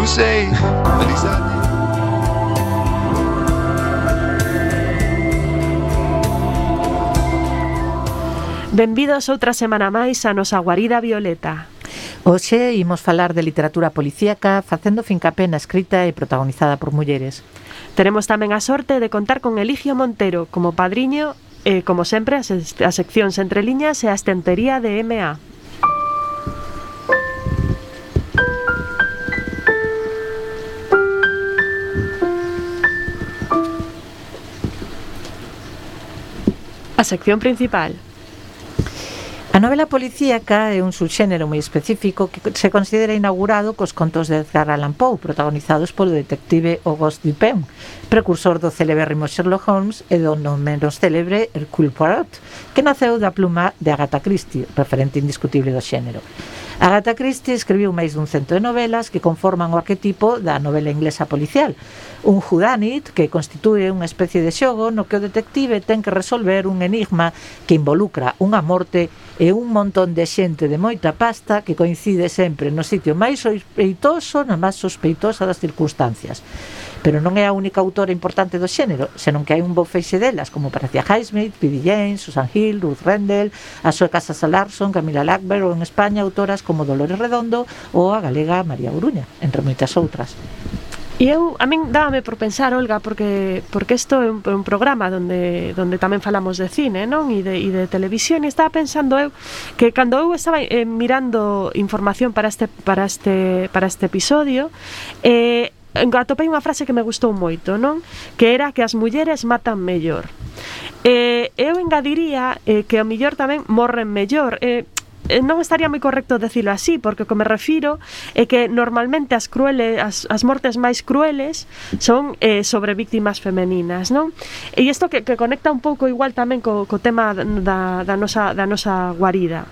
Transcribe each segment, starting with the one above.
to say. Feliz año. Benvidos outra semana máis a nosa guarida violeta. Hoxe imos falar de literatura policíaca facendo fincapé na escrita e protagonizada por mulleres. Teremos tamén a sorte de contar con Eligio Montero como padriño e, como sempre, as seccións entre liñas e a estantería de M.A. A sección principal. A novela policíaca é un subxénero moi específico que se considera inaugurado cos contos de Edgar Allan Poe, protagonizados polo detective Auguste Dupin, precursor do celebérrimo Sherlock Holmes e do non menos célebre Hercule Poirot, que naceu da pluma de Agatha Christie, referente indiscutible do xénero. Agatha Christie escribiu máis dun cento de novelas que conforman o arquetipo da novela inglesa policial, un whodunit que constitúe unha especie de xogo no que o detective ten que resolver un enigma que involucra unha morte e un montón de xente de moita pasta que coincide sempre no sitio máis sospeitoso, na máis sospeitosa das circunstancias. Pero non é a única autora importante do xénero, senón que hai un bo feixe delas, como Patricia Highsmith, P.D. James, Susan Hill, Ruth Rendell, a sueca Sasa Larsson, Camila Lackberg, ou en España autoras como Dolores Redondo ou a galega María Oruña, entre moitas outras. E a min dábame por pensar, Olga, porque isto é un programa onde tamén falamos de cine, non? E de televisión, e estaba pensando eu que cando eu estaba mirando información para este episodio, atopei unha frase que me gustou moito, non? Que era que as mulleres matan mellor. Eu engadiría que ao mellor tamén morren mellor. Non estaría moi correcto decirlo así, porque o que me refiro é que normalmente as mortes máis crueles son sobre víctimas femeninas, non? E isto que conecta un pouco igual tamén co tema da nosa guarida.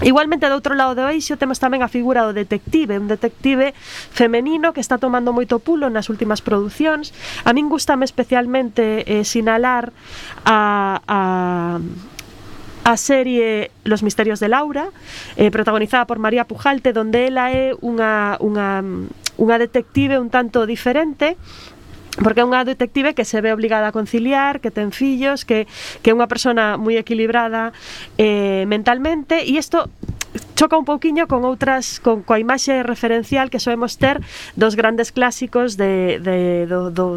Igualmente, do outro lado do eixo temos tamén a figura do detective, un detective femenino que está tomando moito pulo nas últimas producións. A min gustame especialmente sinalar a serie Los misterios de Laura, protagonizada por María Pujalte, donde ela é unha detective un tanto diferente, porque é unha detective que se ve obligada a conciliar, que ten fillos, que é unha persona moi equilibrada mentalmente, e isto choca un pouquiño con outras, coa imaxe referencial que soemos ter dos grandes clásicos do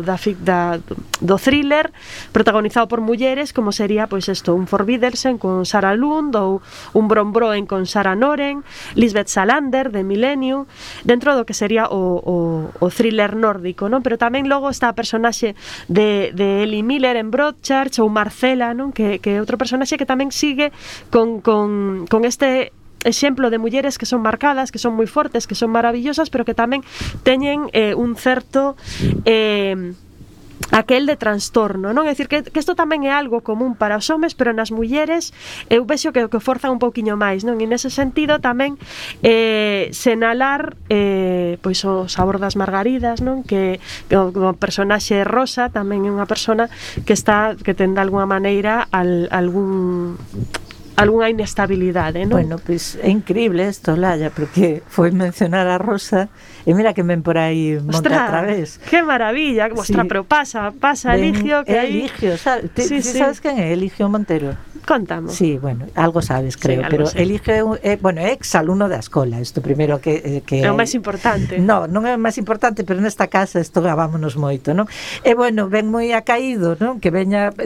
thriller protagonizado por mulleres, como sería pois isto, un Forbiddelsen con Sarah Lund, ou un Brombroen con Sarah Noren, Lisbeth Salander de Millennium, dentro do que sería o thriller nórdico, non? Pero tamén logo está a personaxe de Ellie Miller en Broadchurch, ou Marcela, non? Que é outro personaxe que tamén sigue con este exemplo de mulleres que son marcadas, que son moi fortes, que son maravillosas, pero que tamén teñen un certo aquel de trastorno, non? É dicir, que isto tamén é algo común para os homes, pero nas mulleres eu vexo que forzan un pouquiño máis, non? E nese sentido tamén senalar pois o Sabor das Margaridas, non? Que o personaxe Rosa tamén é unha persona que ten de alguna maneira algunha inestabilidade, non? Bueno, pois é increíble isto, Laia, porque foi mencionar a Rosa e mira que ven por aí monta a través. Que maravilla, ostras, sí. Pero pasa Eligio, que aí... Eligio, sabes? Sí. Sabes quen é Eligio Montero? Contamos. Sí, bueno, algo sabes, creo, sí, pero sei. Eligio é ex-alumno da escola, isto primeiro que é o máis importante. Non é o máis importante, pero nesta casa estudábamos moito, non? E bueno, ven moi acaído, non? Que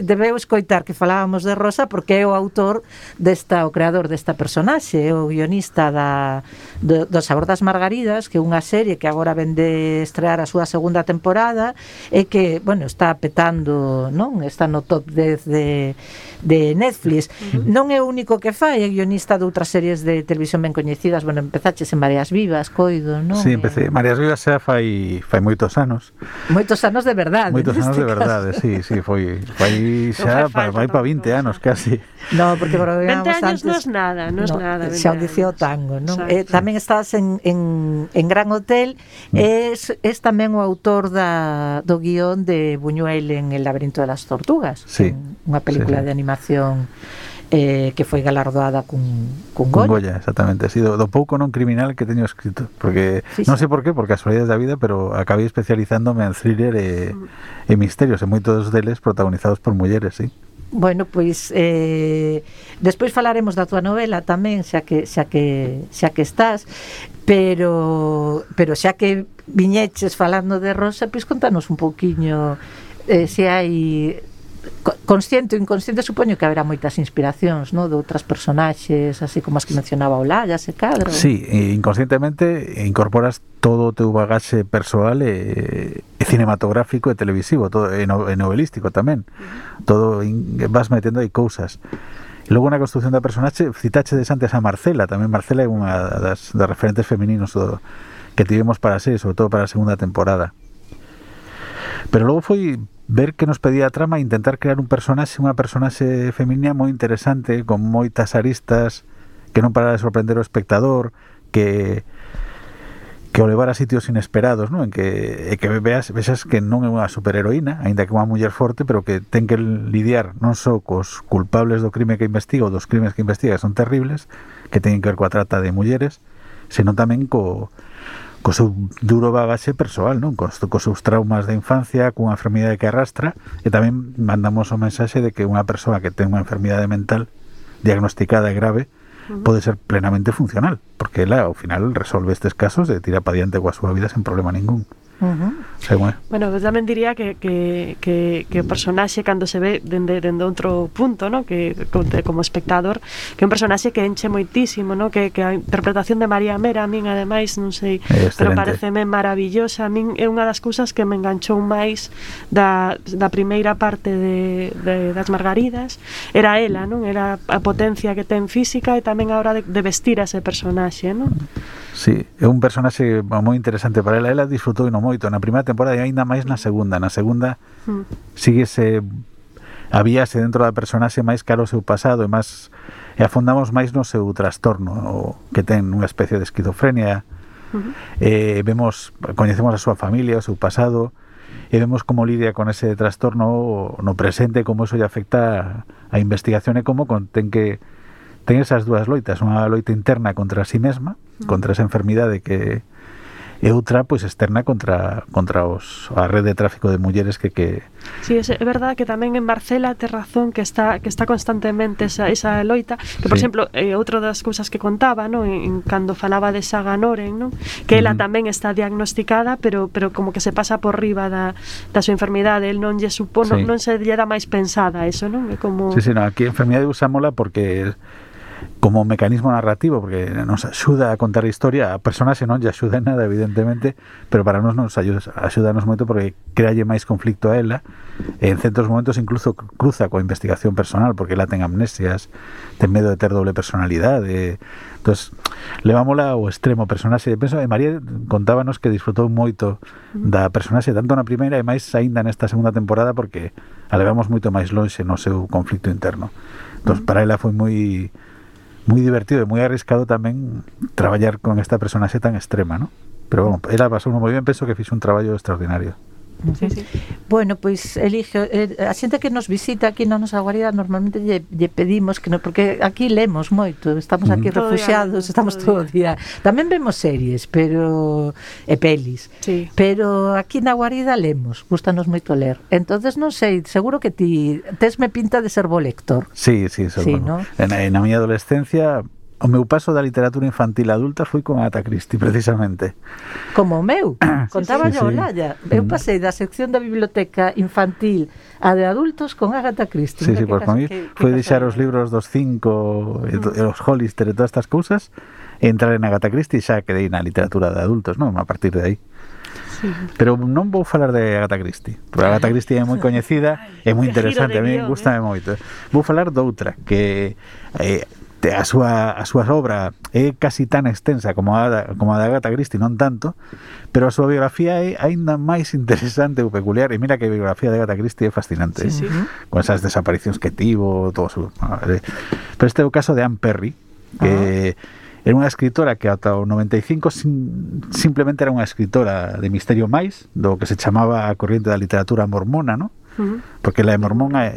debeu escoitar que falábamos de Rosa porque é o autor o creador desta personaxe, o guionista do Sabor das Margaridas, que é unha serie que agora ven de estrear a súa segunda temporada e que, bueno, está petando, non? Está no top 10 de Netflix. Non é o único que fai, é guionista de outras series de televisión ben coñecidas. Bueno, empezaches en Mareas Vivas, coido, non? Sí, empecé. Mareas Vivas xa fai moitos anos. Moitos anos de verdade. Moitos anos de verdade, sí, foi xa vai para 20 anos casi. No, porque 20 anos non é nada, non é nada. Xa o dicía o tango, non? Tamén estás en Gran Hotel, es tamén o autor do guión de Buñuel en El laberinto de las tortugas, sí, unha película de animación que foi galardoada cun Goya, exactamente. Así, do pouco non criminal que teño escrito, porque non sei por qué, por casualidades da vida, pero acabei especializándome en thriller e misterios, e moitos deles protagonizados por mulleres, sí. Bueno, pois despois falaremos da tua novela tamén, xa que estás, pero xa que viñeches falando de Rosa, pois contanos un pouquiño se hai consciente ou inconsciente, supoño que haberá moitas inspiracións, no, de outras personaxes, así como as que mencionaba Olalla, se cadra. Sí, inconscientemente incorporas todo o teu bagaxe persoal e cinematográfico e televisivo, todo e novelístico tamén. Todo vas metendo aí cousas. E logo na construción da personaxe, citache de antes a Marcela, tamén Marcela é unha das referentes femininos que tivemos para a serie, sobre todo para a segunda temporada. Pero logo foi ver que nos pedía a trama e intentar crear unha personaxe feminina moi interesante, con moitas aristas, que non parara de sorprender o espectador, que o levara a sitios inesperados, non? En que vexas que non é unha superheroína, aínda que unha muller forte, pero que ten que lidiar non só cos culpables do crime que investiga ou dos crimes que investiga, que son terribles, que teñen que ver coa trata de mulleres, senón tamén co seu duro bagaxe persoal, non? Cos seus traumas de infancia, cunha enfermidade que arrastra, e tamén mandamos o mensaxe de que unha persoa que ten unha enfermidade mental diagnosticada e grave pode ser plenamente funcional, porque ela ao final resolve estes casos e tira pa diante coa súa vida sen problema ningún. Bueno, pues tamén diría que o personaxe cando se ve dende outro punto, ¿no? Que como espectador, que é un personaxe que enche moitísimo, ¿no? Que a interpretación de María Mera, a min ademais, non sei, pero pareceme maravillosa. A min é unha das cousas que me enganchou máis da primeira parte das Margaridas, era ela, non? Era a potencia que ten física e tamén a hora de vestir a ese personaxe, non? Sí, é un personaxe moi interesante para ela. Ela disfrutou no moito na primeira temporada e aínda máis na segunda. Na segunda síguese, habíase dentro da personaxe máis caro o seu pasado e afondamos máis no seu trastorno, que ten unha especie de esquizofrenia. Coñecemos a súa familia, o seu pasado, e vemos como lidia con ese trastorno no presente, como eso lle afecta a investigación e como ten esas dúas loitas, unha loita interna contra si mesma, contra esa enfermidade que e outra pois externa contra a rede de tráfico de mulleres que Sí, é verdade que tamén en Marcela tes razón que está constantemente esa loita, que por exemplo, outra das cousas que contaba, ¿no? Cando falaba de Saga Noren, ¿no? Que ela tamén está diagnosticada, pero como que se pasa por riba da súa enfermidade, el non lle supón, non se lle dá máis pensada eso, non? É como Sí, no, aquí a enfermidade usámola porque como mecanismo narrativo, porque nos axuda a contar a historia. A personaxe non lle axuda en nada, evidentemente, pero para nos axudanos moito porque crealle máis conflicto a ela, e en certos momentos incluso cruza coa investigación personal, porque ela ten amnesias, ten medo de ter doble personalidade. Entonces, levámola ao extremo personaxe. Penso, María contábanos que disfrutou moito da personaxe, tanto na primeira e máis aínda nesta segunda temporada, porque a levamos moito máis lonxe no seu conflicto interno. Entonces, para ela foi moi divertido e moi arriscado tamén traballar con esta personaxe tan extrema, ¿no? Pero bueno, ela pasou moi ben, penso que fixo un traballo extraordinario. Sí. Bueno, pois Eligio, a xente que nos visita aquí na nosa guarida normalmente lle pedimos que porque aquí lemos moito, estamos aquí refuxiados, estamos todo o día. Tamén vemos series, pero pelis. Sí. Pero aquí na guarida lemos, gustanos moito ler. Entonces non sei, seguro que ti tesme pinta de ser bo lector. Sí, bueno. ¿No? Na miña adolescencia o meu paso da literatura infantil adulta foi con Agatha Christie, precisamente. Como o meu, contaba yo Olalla. Eu pasei da sección da biblioteca infantil a de adultos con Agatha Christie. Sí, por mí foi deixar os libros dos 5 e os Hollister e todas estas cousas e entrar en Agatha Christie, xa quedei na literatura de adultos, non? A partir de aí. Sí. Pero non vou falar de Agatha Christie, porque Agatha Christie é moi coñecida e moi interesante, a mí gustame moito. Vou falar doutra que a súa obra é casi tan extensa como a de Agatha Christie, non tanto, pero a súa biografía é aínda máis interesante ou peculiar, e mira que a biografía de Agatha Christie é fascinante, sí. Con esas desaparicións que tivo, todo su... Pero este é o caso de Anne Perry, que era unha escritora que ata o 95 simplemente era unha escritora de misterio máis, do que se chamaba a corriente da literatura mormona, ¿no? Porque la de mormona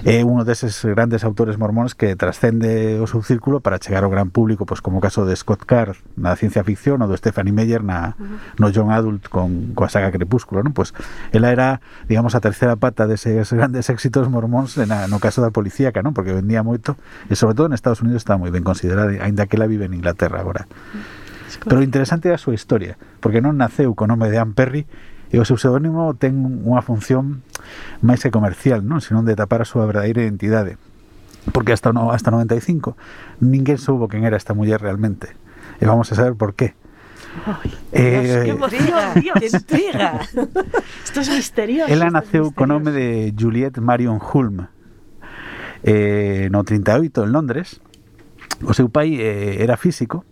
uno deses grandes autores mormóns que trascende o seu círculo para chegar ao gran público, pois como o caso de Scott Card na ciencia ficción ou do Stephanie Meyer no young adult coa saga Crepúsculo, non? Pois ela era, digamos, a terceira pata deses grandes éxitos mormóns no caso da policíaca, non? Porque vendía moito e sobre todo en Estados Unidos está moi ben considerada, aínda que ela vive en Inglaterra agora. Pero o interesante é a súa historia, porque non naceu co nome de Anne Perry e o seu pseudónimo ten unha función máis que comercial, non? Senón de tapar a súa verdadeira identidade. Porque hasta 95 ninguén soubo quen era esta muller realmente. E vamos a saber por qué. ¡Qué emoción, Dios! ¡Qué intriga! Esto es misterioso. Ela naceu co nome de Juliette Marion Hulme no 38 en Londres. O seu pai era físico,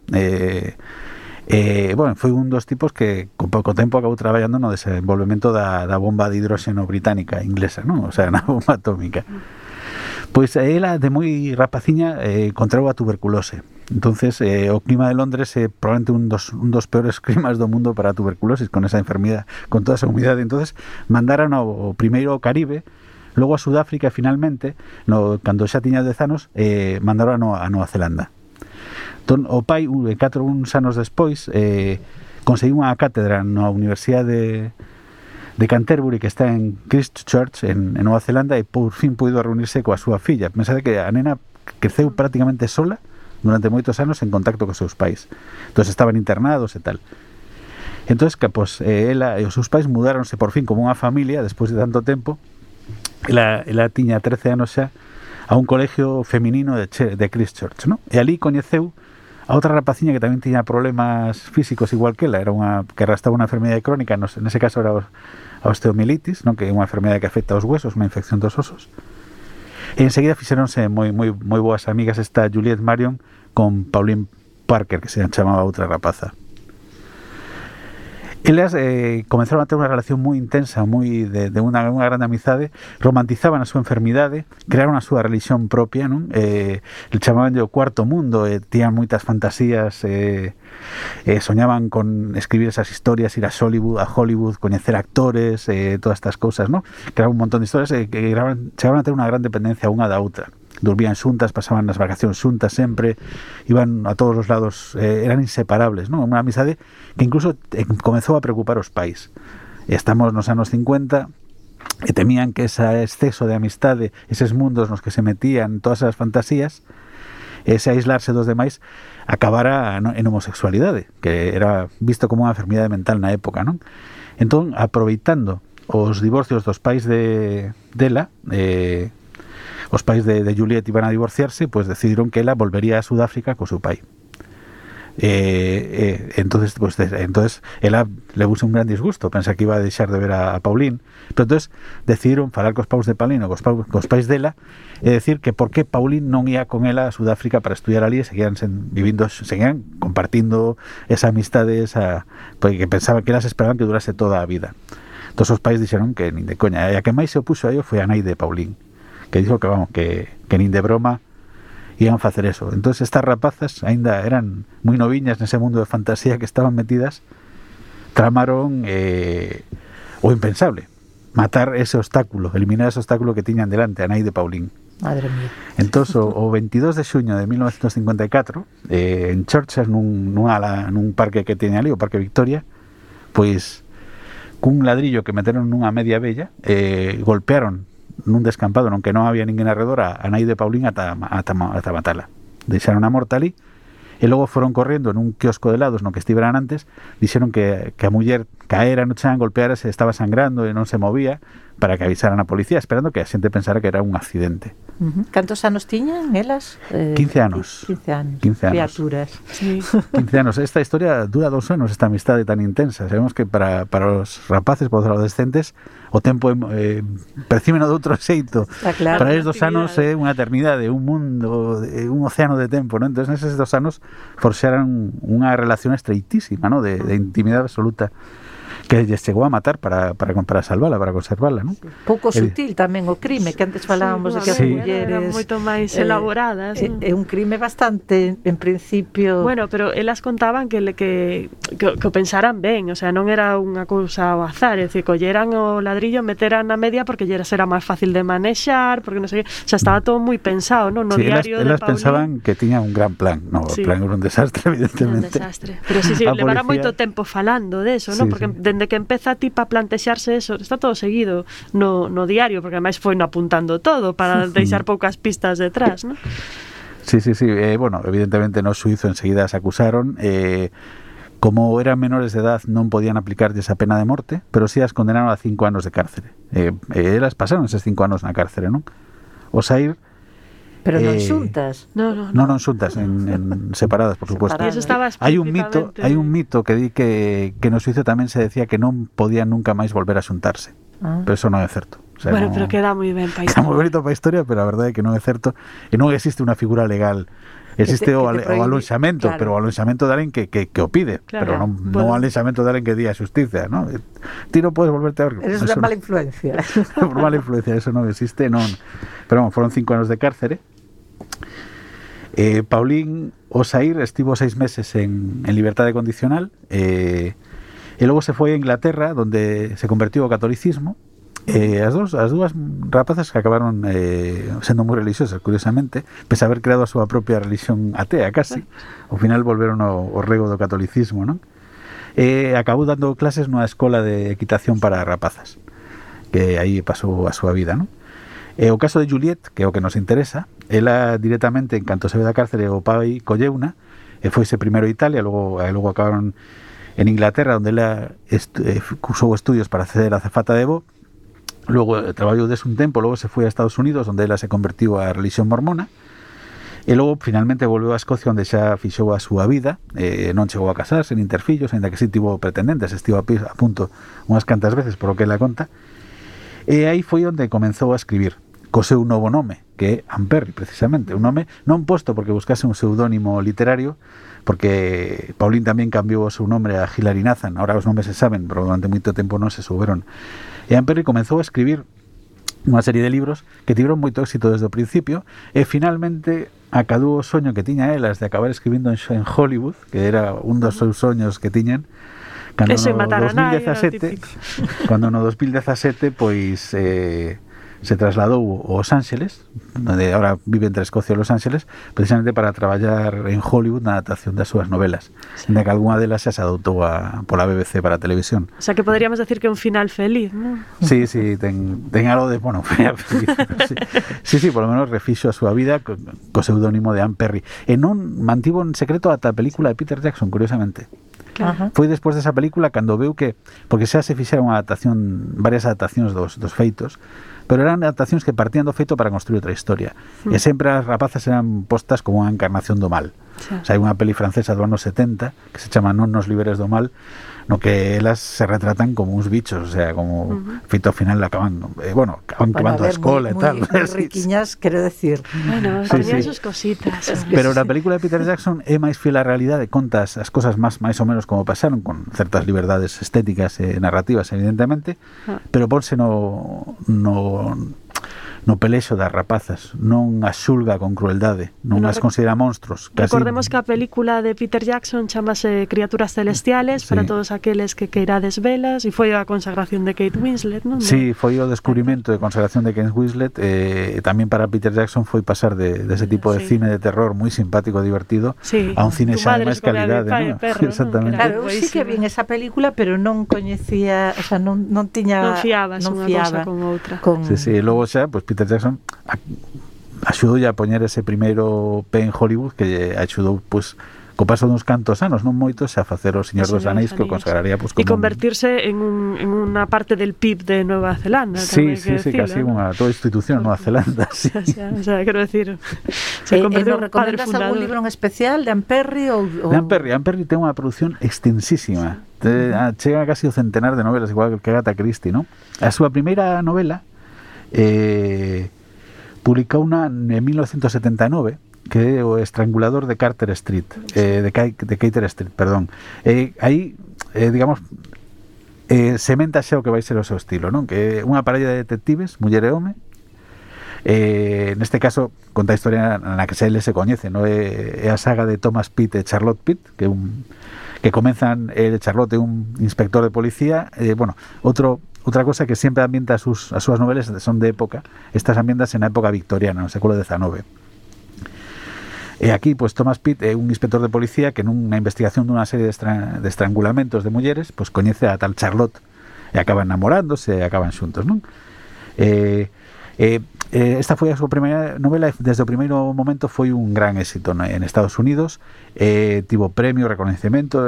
bueno, foi un dos tipos que con pouco tempo acabou traballando no desenvolvemento da bomba de hidróxeno británica inglesa, non? O sea, na bomba atómica. Pois ela de moi rapaciña contrau a tuberculose. Entonces o clima de Londres é probablemente un dos peores climas do mundo para a tuberculosis, con esa enfermidade, con toda esa humidade. Entonces mandaron ao primeiro ao Caribe, logo a Sudáfrica e finalmente, cando xa tiña 10 anos, mandaron a Nova Zelanda. Entón, o pai, uns anos despois, conseguiu unha cátedra na Universidade de Canterbury, que está en Christchurch, en Nova Zelanda, e por fin puido reunirse coa súa filla. Pensade que a nena creceu prácticamente sola durante moitos anos en contacto cos seus pais. Entón, estaban internados e tal. Entón, pues, ela e os seus pais mudáronse por fin como unha familia, despois de tanto tempo. Ela tiña 13 anos xa, a un colegio feminino de Christchurch, ¿no? E ali coñeceu a outra rapaciña que tamén tiña problemas físicos igual que ela, era que arrastraba unha enfermedade crónica, nese caso era a osteomielitis, non? Que é unha enfermedade que afecta aos huesos, unha infección dos osos. E enseguida fixeronse moi boas amigas esta Juliette Marion con Pauline Parker, que se chamaba outra rapaza. Elas comenzaron a ter unha relación moi intensa, moi de unha grande amizade, romantizaban a súa enfermidade, crearon a súa religión propia, non? Le chamaban o cuarto mundo, tiñan moitas fantasías, soñaban con escribir esas historias, ir a Hollywood, coñecer actores, todas estas cousas, non? Crearon un montón de historias que chegaron a ter unha gran dependencia unha da outra. Dormían xuntas, pasaban as vacacións xuntas sempre, iban a todos os lados, eran inseparables, non? Unha amizade que incluso comezou a preocupar os pais. Estamos nos anos 50 e temían que ese exceso de amistade, eses mundos nos que se metían, todas as fantasías, ese aislarse dos demais, acabara en homosexualidade, que era visto como unha enfermidade mental na época, non? Entón, aproveitando os divorcios dos pais dela, os pais de Juliette iban a divorciarse, pues decidiron que ela volvería a Sudáfrica co seu pai. Entonces ela levouse un gran disgusto, pensa que iba a deixar de ver a Pauline, pero entonces decidiron falar cos pais de Pauline ou cos pais dela e decir que por que Pauline non ia con ela a Sudáfrica para estudiar ali e seguían compartindo esa amistade, porque pensaba que elas esperaban que durase toda a vida. Entón os pais dixeron que nin de coña, e a que máis se opuxo a ello foi a nai de Pauline, que dixo que nin de broma iban facer eso. Entonces estas rapazas aínda eran moi noviñas nese mundo de fantasía que estaban metidas, tramaron o impensable, matar ese obstáculo, eliminar ese obstáculo que tiñan delante, a nai de Pauline. Madre mía. Entonces o 22 de xuño de 1954 en Churchill, nun parque que teña ali, o Parque Victoria, pois cun ladrillo que meteron nunha media bella, golpearon nun descampado non que non había ninguén alrededor a nai de Pauline ata matala. Deixaron a morta ali e logo foron correndo nun quiosco de helados no que estiveran antes, dixeron que a muller caera no chan, golpearase, estaba sangrando e non se movía, para que avisaran a policía, esperando que a xente pensara que era un accidente. Cantos anos tiñan elas? 15 anos. 15 anos. Criaturas. Sí. 15 anos. Esta historia dura 2 anos, esta amistade tan intensa. Sabemos que para os rapaces, para os adolescentes, o tempo percíbeno de outro xeito. Claro. Para eles 2 anos é unha eternidade, un mundo, un océano de tempo, ¿no? Entón, neses 2 anos forxaran unha relación estreitísima, ¿no? De intimidade absoluta, que lles chegou a matar para salvala, para conservala, non? Pouco sutil tamén o crime, que antes falábamos de que as mulleres eran moito máis elaboradas, non? É un crime bastante, en principio... Bueno, pero elas contaban que o pensaran ben, o sea, non era unha cousa ao azar, é dicir, colleran o ladrillo, meteran na media porque lle era máis fácil de manexar, porque non sei, o sea, estaba todo moi pensado, non? No diario elas de Paulín pensaban que tiña un gran plan, no, o plan era un desastre, evidentemente. Un desastre. Pero sí, levará moito tempo falando de eso, non? Porque dende que empeza a plantexarse eso, está todo seguido no diario, porque ademais foi no apuntando todo para deixar poucas pistas detrás, non? Sí. Bueno, evidentemente no suizo enseguida se acusaron, como eran menores de edad non podían aplicarlles a pena de morte, pero sí as condenaron a 5 anos de cárcere. Elas pasaron eses 5 anos na cárcere, non? Osair. Pero non xuntas. Non xuntas, en separadas, por supuesto. E eso estaba Hai un mito que di que no suizo tamén se decía que non podían nunca máis volver a xuntarse. Pero eso non é certo. O sea, bueno, pero queda moi ben para a historia. Queda moi bonito para a historia, pero a verdade é que non é certo e non existe unha figura legal. Existe o alonxamento, claro. Pero o alonxamento de alguén que o pide, claro, pero non o alonxamento de alguén que di a xusticia, ¿no? Ti non podes volverte a ver. Eres unha mala influencia. Por mala influencia, eso non existe, non. Pero bueno, foron 5 anos de cárcere. Paulín Osair estivo 6 meses en liberdade condicional e logo se foi a Inglaterra, donde se convertiu ao catolicismo. As dúas rapazas que acabaron sendo moi religiosas, curiosamente, pese a haber creado a súa propia religión atea, casi, ao final volveron ao rego do catolicismo, non? Acabou dando clases nunha escola de equitación para rapazas, que aí pasou a súa vida, non? O caso de Juliette, que é o que nos interesa, ela directamente, en canto se ve da cárcere, o pai colleuna, foise primeiro a Italia, logo acabaron en Inglaterra, onde ela cursou estudios para ser azafata de voo. Logo traballou des un tempo, logo se foi a Estados Unidos, onde ela se convertiu á religión mormona, e logo finalmente volveu a Escocia, onde xa fixou a súa vida. Non chegou a casarse, nin ter fillos, ainda que si tivo pretendentes, estivo a punto unhas cantas veces, por o que ela conta. E aí foi onde comenzou a escribir co seu novo nome, que é Anne Perry, precisamente, un nome non posto porque buscase un pseudónimo literario, porque Paulín tamén cambiou o seu nome a Hilary Nathan. Ahora os nomes se saben, pero durante moito tempo non se souberon. E Anne Perry comenzou a escribir unha serie de libros que tiveron moito éxito desde o principio, e finalmente acadou o soño que tiña elas de acabar escribindo en Hollywood, que era un dos seus soños que tiñan, cando no 2017 pois se trasladou aos Ángeles, onde ahora vive entre Escocia e Los Ángeles, precisamente para traballar en Hollywood na adaptación das súas novelas, onde que algunha delas xa se adoptou pola BBC para a televisión. O sea, que poderíamos decir que é un final feliz, non? Sí, ten algo de, bueno, final feliz. Sí, por lo menos refixo a súa vida co pseudónimo de Anne Perry. E non mantivo en secreto ata a película de Peter Jackson, curiosamente. Claro. Foi despois desa película cando veu que, porque xa se fixeron varias adaptacións dos feitos, pero eran adaptacións que partían do feito para construir outra historia. E sempre as rapazas eran postas como unha encarnación do mal. O sea, hai unha peli francesa do ano 70 que se chama Non nos liberes do mal, no que elas se retratan como uns bichos, o sea, como feito ao final acaban quemando a escola e tal. Moi riquiñas, quero decir. Bueno, tenían sus cositas. Pero na película de Peter Jackson é máis fiel á realidade, conta as cosas máis ou menos como pasaron, con certas liberdades estéticas e narrativas, evidentemente, pero ponse no pelexo das rapazas, non as xulga con crueldade, non as considera monstruos. Recordemos que a película de Peter Jackson chamase Criaturas Celestiales, para todos aqueles que queirades velas, e foi a consagración de Kate Winslet, non? Sí, foi o descubrimento de consagración de Kate Winslet, e tamén para Peter Jackson foi pasar de ese tipo de cine de terror moi simpático, divertido, a un cine xa de máis calidade, non? Exactamente. Claro, sí que vi esa película, pero non coñecía, o sea, non tiña... Non fiabas unha cousa con outra. Sí, logo xa, pues Peter Jackson axudoulle a poñer ese primeiro pé en Hollywood, que axudou, pues, co paso duns cantos anos, non moitos, a facer o Señor dos Anéis, que o consagraría, pues, como... E convertirse en unha parte del PIB de Nueva Zelanda. Sí, casi unha toda institución Nueva Zelanda, sí. O sea, quero decir, se convertiu en padre fundador. Recomendas algún libro en especial de Anne Perry? De Anne Perry ten unha produción extensísima. Chega casi o centenar de novelas, igual que Agatha Christie, non? A súa primeira novela publicou unha en 1979, que é o Estrangulador de Carter Street, de Carter Street, perdón. Aí, digamos, sementa xa o que vai ser o seu estilo, non? Que é unha parella de detectives, muller e home. Neste caso conta a historia na que eles se coñecen, non? É a saga de Thomas Pitt e Charlotte Pitt, que comenzan, Charlotte é un inspector de policía, bueno, outra cosa que sempre ambienta as súas novelas son de época, estas ambientas en a época victoriana, no século XIX. E aquí, pues, Thomas Pitt é un inspector de policía que nunha investigación dunha serie de estrangulamentos de mulleres, pues coñece a tal Charlotte e acaban enamorándose e acaban xuntos, non? Esta foi a súa primeira novela e desde o primeiro momento foi un gran éxito en Estados Unidos. Tivo premio, recoñecemento,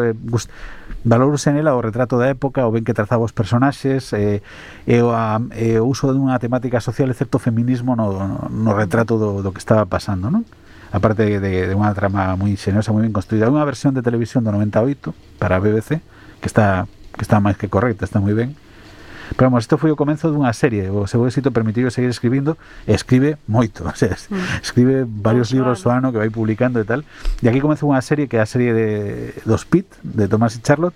valorouse nela o retrato da época, o ben que trazaba os personaxes, o uso dunha temática social e certo feminismo no retrato do que estaba pasando, non? Aparte de unha trama moi xenerosa, moi ben construída. Unha versión de televisión do 98 para a BBC que está máis que correcta, está moi ben. Pero vamos, isto foi o comenzo dunha serie. O seu éxito permitiu seguir escribindo, e escribe moito, o sea, escribe varios libros ao ano que vai publicando e tal. E aquí comezou unha serie que é a serie dos Pitt, de Thomas e Charlotte,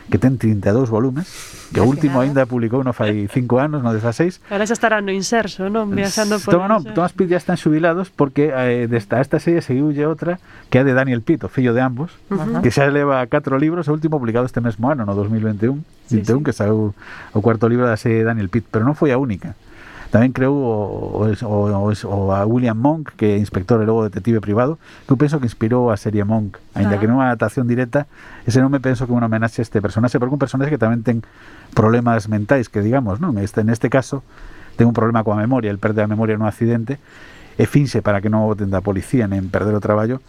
que ten 32 volumes, que o último aínda publicou no fai 5 anos, no 16. Ahora xa estará no inserso, non? Viaxando por Thomas Pitt ya están xubilados porque esta serie seguiulle outra que é de Daniel Pitt, o fillo de ambos, que xa leva 4 libros, o último publicado este mesmo ano, no 2021, que saiu o cuarto libro da serie de Daniel Pitt, pero non foi a única. Tamén creou a William Monk, que é inspector e logo detective privado, que eu penso que inspirou a serie Monk, aínda que non é unha adaptación directa. Ese non me penso que é un homenaxe a este personaxe, porque un personaxe que tamén ten problemas mentais, que digamos, non? Neste caso ten un problema coa memoria, el perde a memoria nun accidente e finxe para que non o boten da policía nen perder o traballo,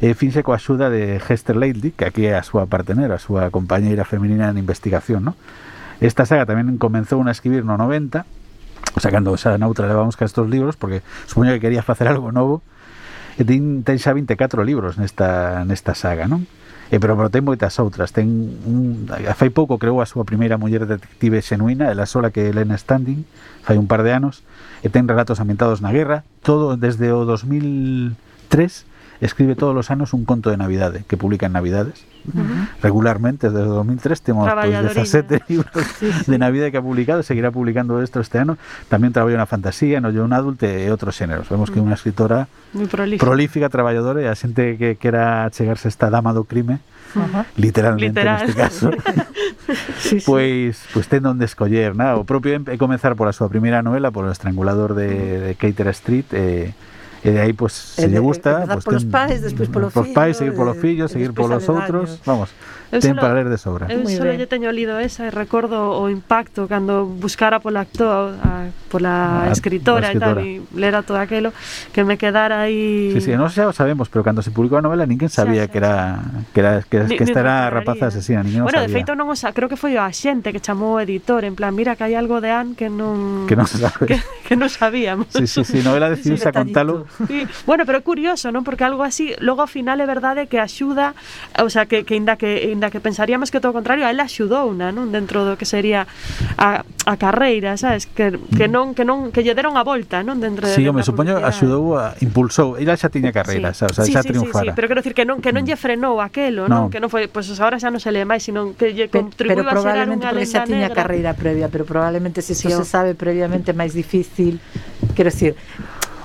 e finxe coa axuda de Hester Leighty, que aquí é a súa partener, a súa compañeira feminina en investigación, non? Esta saga tamén comenzou a escribir no 90, o sea, cando xa noutra levamos ca estos libros, porque supoño que quería facer algo novo, e ten xa 24 libros nesta saga, non? Pero ten moitas outras. Fai pouco creou a súa primeira muller detective xenuína, ela sola, que é Elena Standing, fai un par de anos, e ten relatos ambientados na guerra, todo desde o 2003. Escribe todos os anos un conto de Navidade que publica en Navidades regularmente. Desde 2003 temos 17 libros de Navidade que ha publicado, seguirá publicando este ano. Tamén traballa na fantasía, no young adult e outros xéneros. Vemos que é unha escritora moi prolífica, traballadora, e a xente que quera chegarse a esta dama do crime, literalmente neste caso, pois ten onde escoller, o propio é comenzar pola súa primeira novela, polo Estrangulador de Carter Street, e de aí, pues, se lle gusta, pues, polos pais, despois polo fillo, seguir polo fillo, seguir polos outros, vamos, ten para ler de sobra. Eu só lle teño lido esa e recordo o impacto cando buscara pola pola escritora e tal, e lera todo aquelo, que me quedara aí. Sí, non xa o sabemos, pero cando se publicou a novela ninguén sabía que esta era a rapaza asesina, ninguén o sabía. Bueno, de feito non o creo que foi o axente que chamou o editor, en plan, mira que hai algo de Anne que non sabe. que non sabíamos. Sí, novela decidiuse a contalo. Sí. Bueno, pero é curioso, non? Porque algo así, logo ao final é verdade que axuda, o sea, que inda que pensaríamos que todo o contrario, a ela axudou, non? Dentro do que sería a carreira, sabes? Que lle deron a volta, non? Dentro sí, me supoño axudou, impulsou, ela xa tiña carreira, xa triunfara. Sí, pero quero dicir que non lle frenou aquelo, non? Que non foi, pois agora xa non se lee máis, sino que lle contribuiu a xerar unha lenda negra. Pero probablemente xa tiña carreira previa, pero probablemente se iso se sabe previamente máis difícil, quero dicir,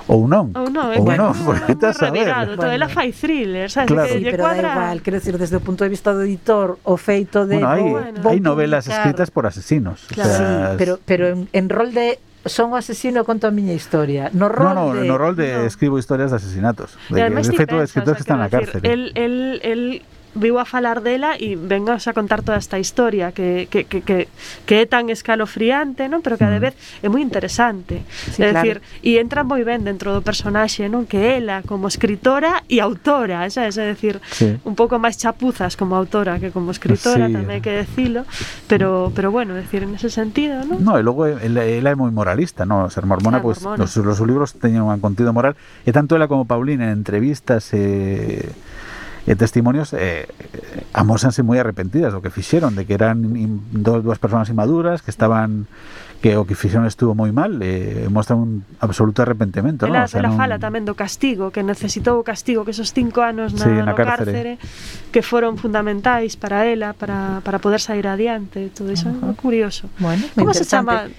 ou non, porque estás a ver. Todo ela fai thriller, sabes? Claro. Sí, pero da igual, quero decir, desde o punto de vista do editor, o feito de hai novelas escritas por asesinos, claro. O sea, sí, pero en rol de son o asesino, conto a miña historia. No rol de escribo historias de asesinatos. De feito, escritores que están na cárcel. El viu a falar dela e vengas a contar toda esta historia que é tan escalofriante, non? Pero que a de vez é moi interesante. Sí, é dicir, e entra moi ben dentro do personaxe, non? Que ela como escritora e autora, sabes? É dicir, un pouco máis chapuzas como autora que como escritora, tamén hai que decilo, pero bueno, decir, en ese sentido, non? No, e logo ela é moi moralista, non? Ser mormona, pois os libros teñen un contido moral, e tanto ela como Paulina en entrevistas testimonios amósanse moi arrepentidas do que fixeron, de que eran dúas persoas inmaduras que estaban que o que fixeron estuvo moi mal, mostran un absoluto arrepentimento, ela, ¿no? O sea, ela fala tamén do castigo, que necesitou o castigo, que esos 5 anos no cárcere que foron fundamentais para ela para poder sair adiante, todo iso é curioso. Bueno, como se chama?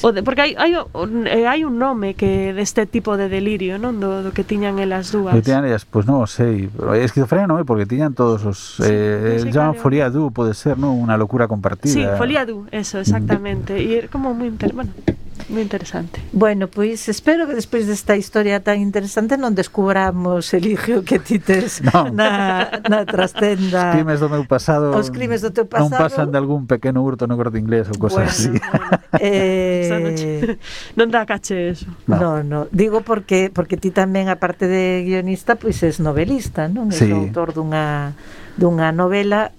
Porque hai un nome que deste tipo de delirio, non? Do que tiñan elas dúas. Que tiñan ellas, pues non sei. Esquizofrenia non é, porque tiñan todos os... llaman folia du, pode ser, non? Unha locura compartida. Sí, folia du, eso, exactamente. E é como moi moi interesante. Bueno, pois espero que despois desta historia tan interesante non descubramos, Eligio, que ti tes na trastenda. Os crimes do meu pasado. Os crimes do teu pasado non pasan de algún pequeno hurto no Corte Inglés ou cosas así. Non dá caché eso. No. Digo porque ti tamén, aparte de guionista, pois es novelista, non? Sí. Es autor dunha novela,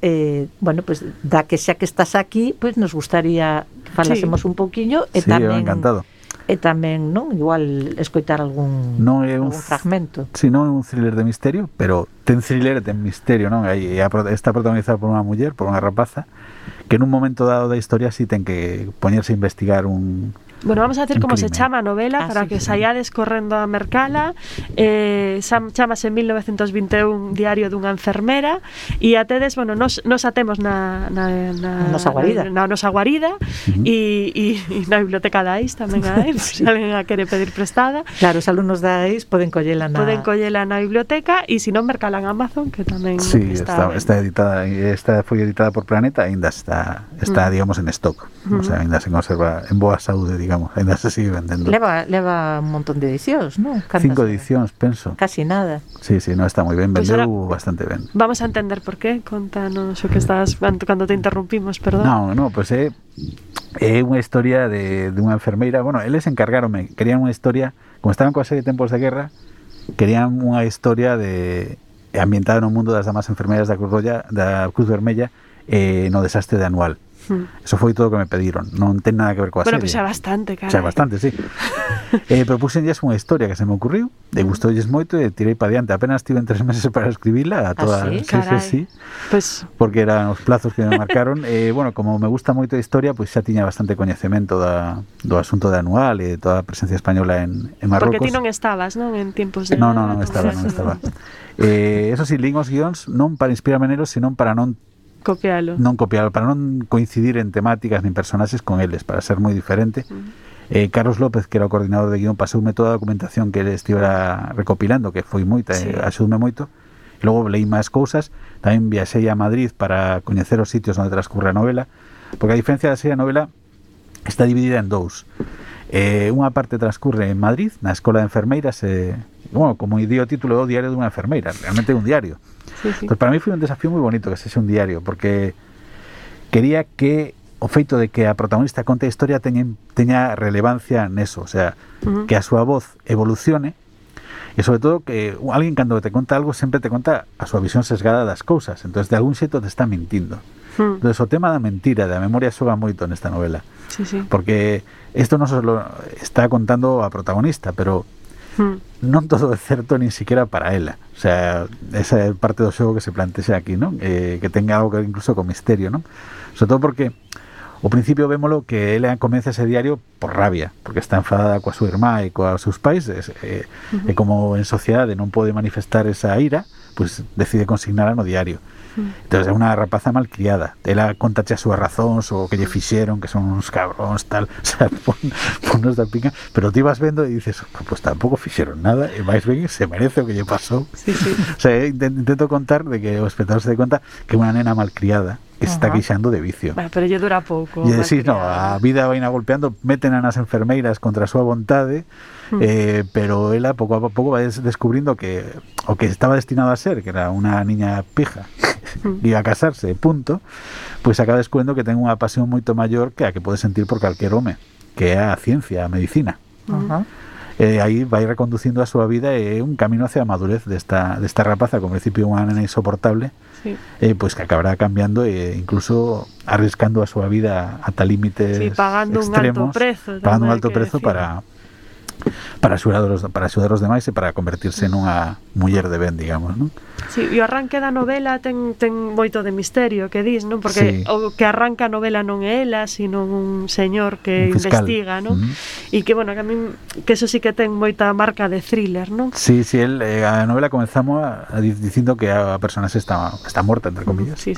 bueno, pois da que xa que estás aquí, pois nos gustaría que falásemos un pouquiño e tamén encantado. E tamén, non, igual escoitar algún fragmento. Si non é un thriller de misterio, pero ten thriller e ten misterio, non? Está protagonizado por unha muller, por unha rapaza, que en un momento dado da historia si ten que poñerse a investigar un... Bueno, vamos a decir como se chama a novela para que saíades correndo a mercala. Chamase 1921 Diario dunha enfermera e a tedes, bueno, nos atemos na nosa guarida e na biblioteca da AIS tamén hai, se alguén a quere pedir prestada. Claro, os alumnos da AIS poden collela na biblioteca e se non mercala en Amazon, que tamén está editada, foi editada por Planeta, ainda está digamos en stock, o sea, ainda se conserva en boa saúde, digamos, ainda se sigue vendendo. Leva un montón de edicións, non? 5 edicións, penso. Casi nada. Sí, no, está moi ben, vendeu bastante ben. Vamos a entender por qué, contanos o que estás cando te interrumpimos, perdón. No, pues é unha historia de unha enfermeira. Bueno, eles encargáronme, querían unha historia, como estaban coa serie de Tempos de Guerra, querían unha historia ambientada no mundo das damas enfermeiras da Cruz Vermella no desastre de Anual. Eso foi todo o que me pediron, non ten nada que ver coa serie. Bueno, pues xa bastante, cara. Xa bastante, sí. Propúxenlles unha historia que se me ocurriu, gustoulles moito e tirei para diante. Apenas tiven 3 meses para escribila a toda. Sí. Pues porque eran os plazos que me marcaron. Bueno, como me gusta moito a historia, pois xa tiña bastante coñecemento do asunto de Anual e toda a presencia española en Marrocos. Porque ti non estabas, non? En tiempos de... Non estaba. Eso sí, lín os guións non para inspirarme nelos, sino para non copialo, para non coincidir en temáticas nin personaxes con eles, para ser moi diferente. Carlos López, que era o coordinador de guión, pasoume toda a documentación que ele estivera recopilando, que foi moita, axudoume moito. E logo leí máis cousas, tamén viaxei a Madrid para coñecer os sitios onde transcurre a novela, porque a diferencia da serie a novela está dividida en dous. Unha parte transcurre en Madrid, na Escola de Enfermeiras, bueno, como dio o título, o diario dunha enfermeira, realmente é un diario. Pues para mí foi un desafío moi bonito que sexe un diario, porque quería que o feito de que a protagonista conte a historia teña relevancia neso, o sea, que a súa voz evolucione e sobre todo que alguén cando te conta algo sempre te conta a súa visión sesgada das cousas, entonces de algún xeito te está mentindo. Entonces o tema da mentira, da memoria xoga moito nesta novela, porque isto non só está contando a protagonista, pero non todo é certo nin siquiera para ela, o sea, esa é parte do xogo que se plantea aquí, non? Que tenga algo que incluso con misterio, non? Sobre todo porque ao principio vémolo que ela comeza ese diario por rabia, porque está enfadada coa súa irmá e coa seus pais, e como en sociedade non pode manifestar esa ira, pues decide consignala no diario. Entonces é unha rapaza malcriada, ela contache as súas razóns o que lle fixeron, que son uns cabróns, tal, o sea, ponnos da pica, pero ti vas vendo e dices, pues tampouco fixeron nada, e máis ben se merece o que lle pasou. O sea, intento contar de que o espectador se dé conta que é unha nena malcriada que se está queixando de vicio. Pero lle dura pouco. E decís, no, a vida vai golpeando, meten a nas enfermeiras contra a súa vontade, pero ela pouco a pouco vai descubrindo que o que estaba destinado a ser, que era unha niña pija, iba a casarse, punto, pois acaba descubrindo que ten unha pasión moito maior que a que pode sentir por calquer home, que é a ciencia, a medicina. Aí vai reconducindo a súa vida e un camino hacia a madurez desta rapaza, como principio unha nena insoportable, pois que acabará cambiando e incluso arriscando a súa vida ata límites pagando extremos, pagando un alto prezo para para axudar os demais e para convertirse nunha muller de ben, digamos, non? Sí, e o arranque da novela ten moito de misterio, que dis, non? Porque o que arranca a novela non é ela, sino un señor que un fiscal. investiga, non? E que, bueno, que a min, que eso sí que ten moita marca de thriller, non? Sí, a novela comenzamos dicindo que a personaxe está morta, entre comillas. Sí.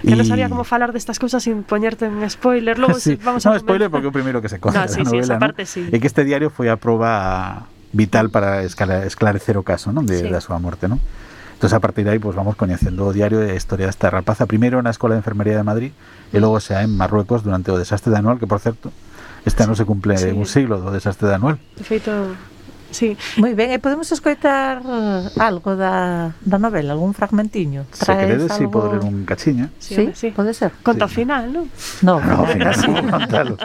Que non sabía como falar destas cousas sin poñerte un spoiler. Logo sí. vamos a spoiler porque é o primeiro que se conta da novela, esa parte sí. E que este diario foi a proba vital para esclarecer o caso, non? Da súa morte, non? Entón, a partir de aí, pues, vamos coñecendo o diario e a historia desta rapaza, primeiro na Escola de Enfermería de Madrid e logo xa en Marruecos durante o desastre de Anual, que, por certo, este ano se cumple un siglo do desastre de Anual. De feito, sí. Moi ben, e podemos escoitar algo da novela, algún fragmentiño? Se queredes, algo... podo ler un cachiño. Sí, pode ser. Conta ao final, non? No, ao final sí, contalo.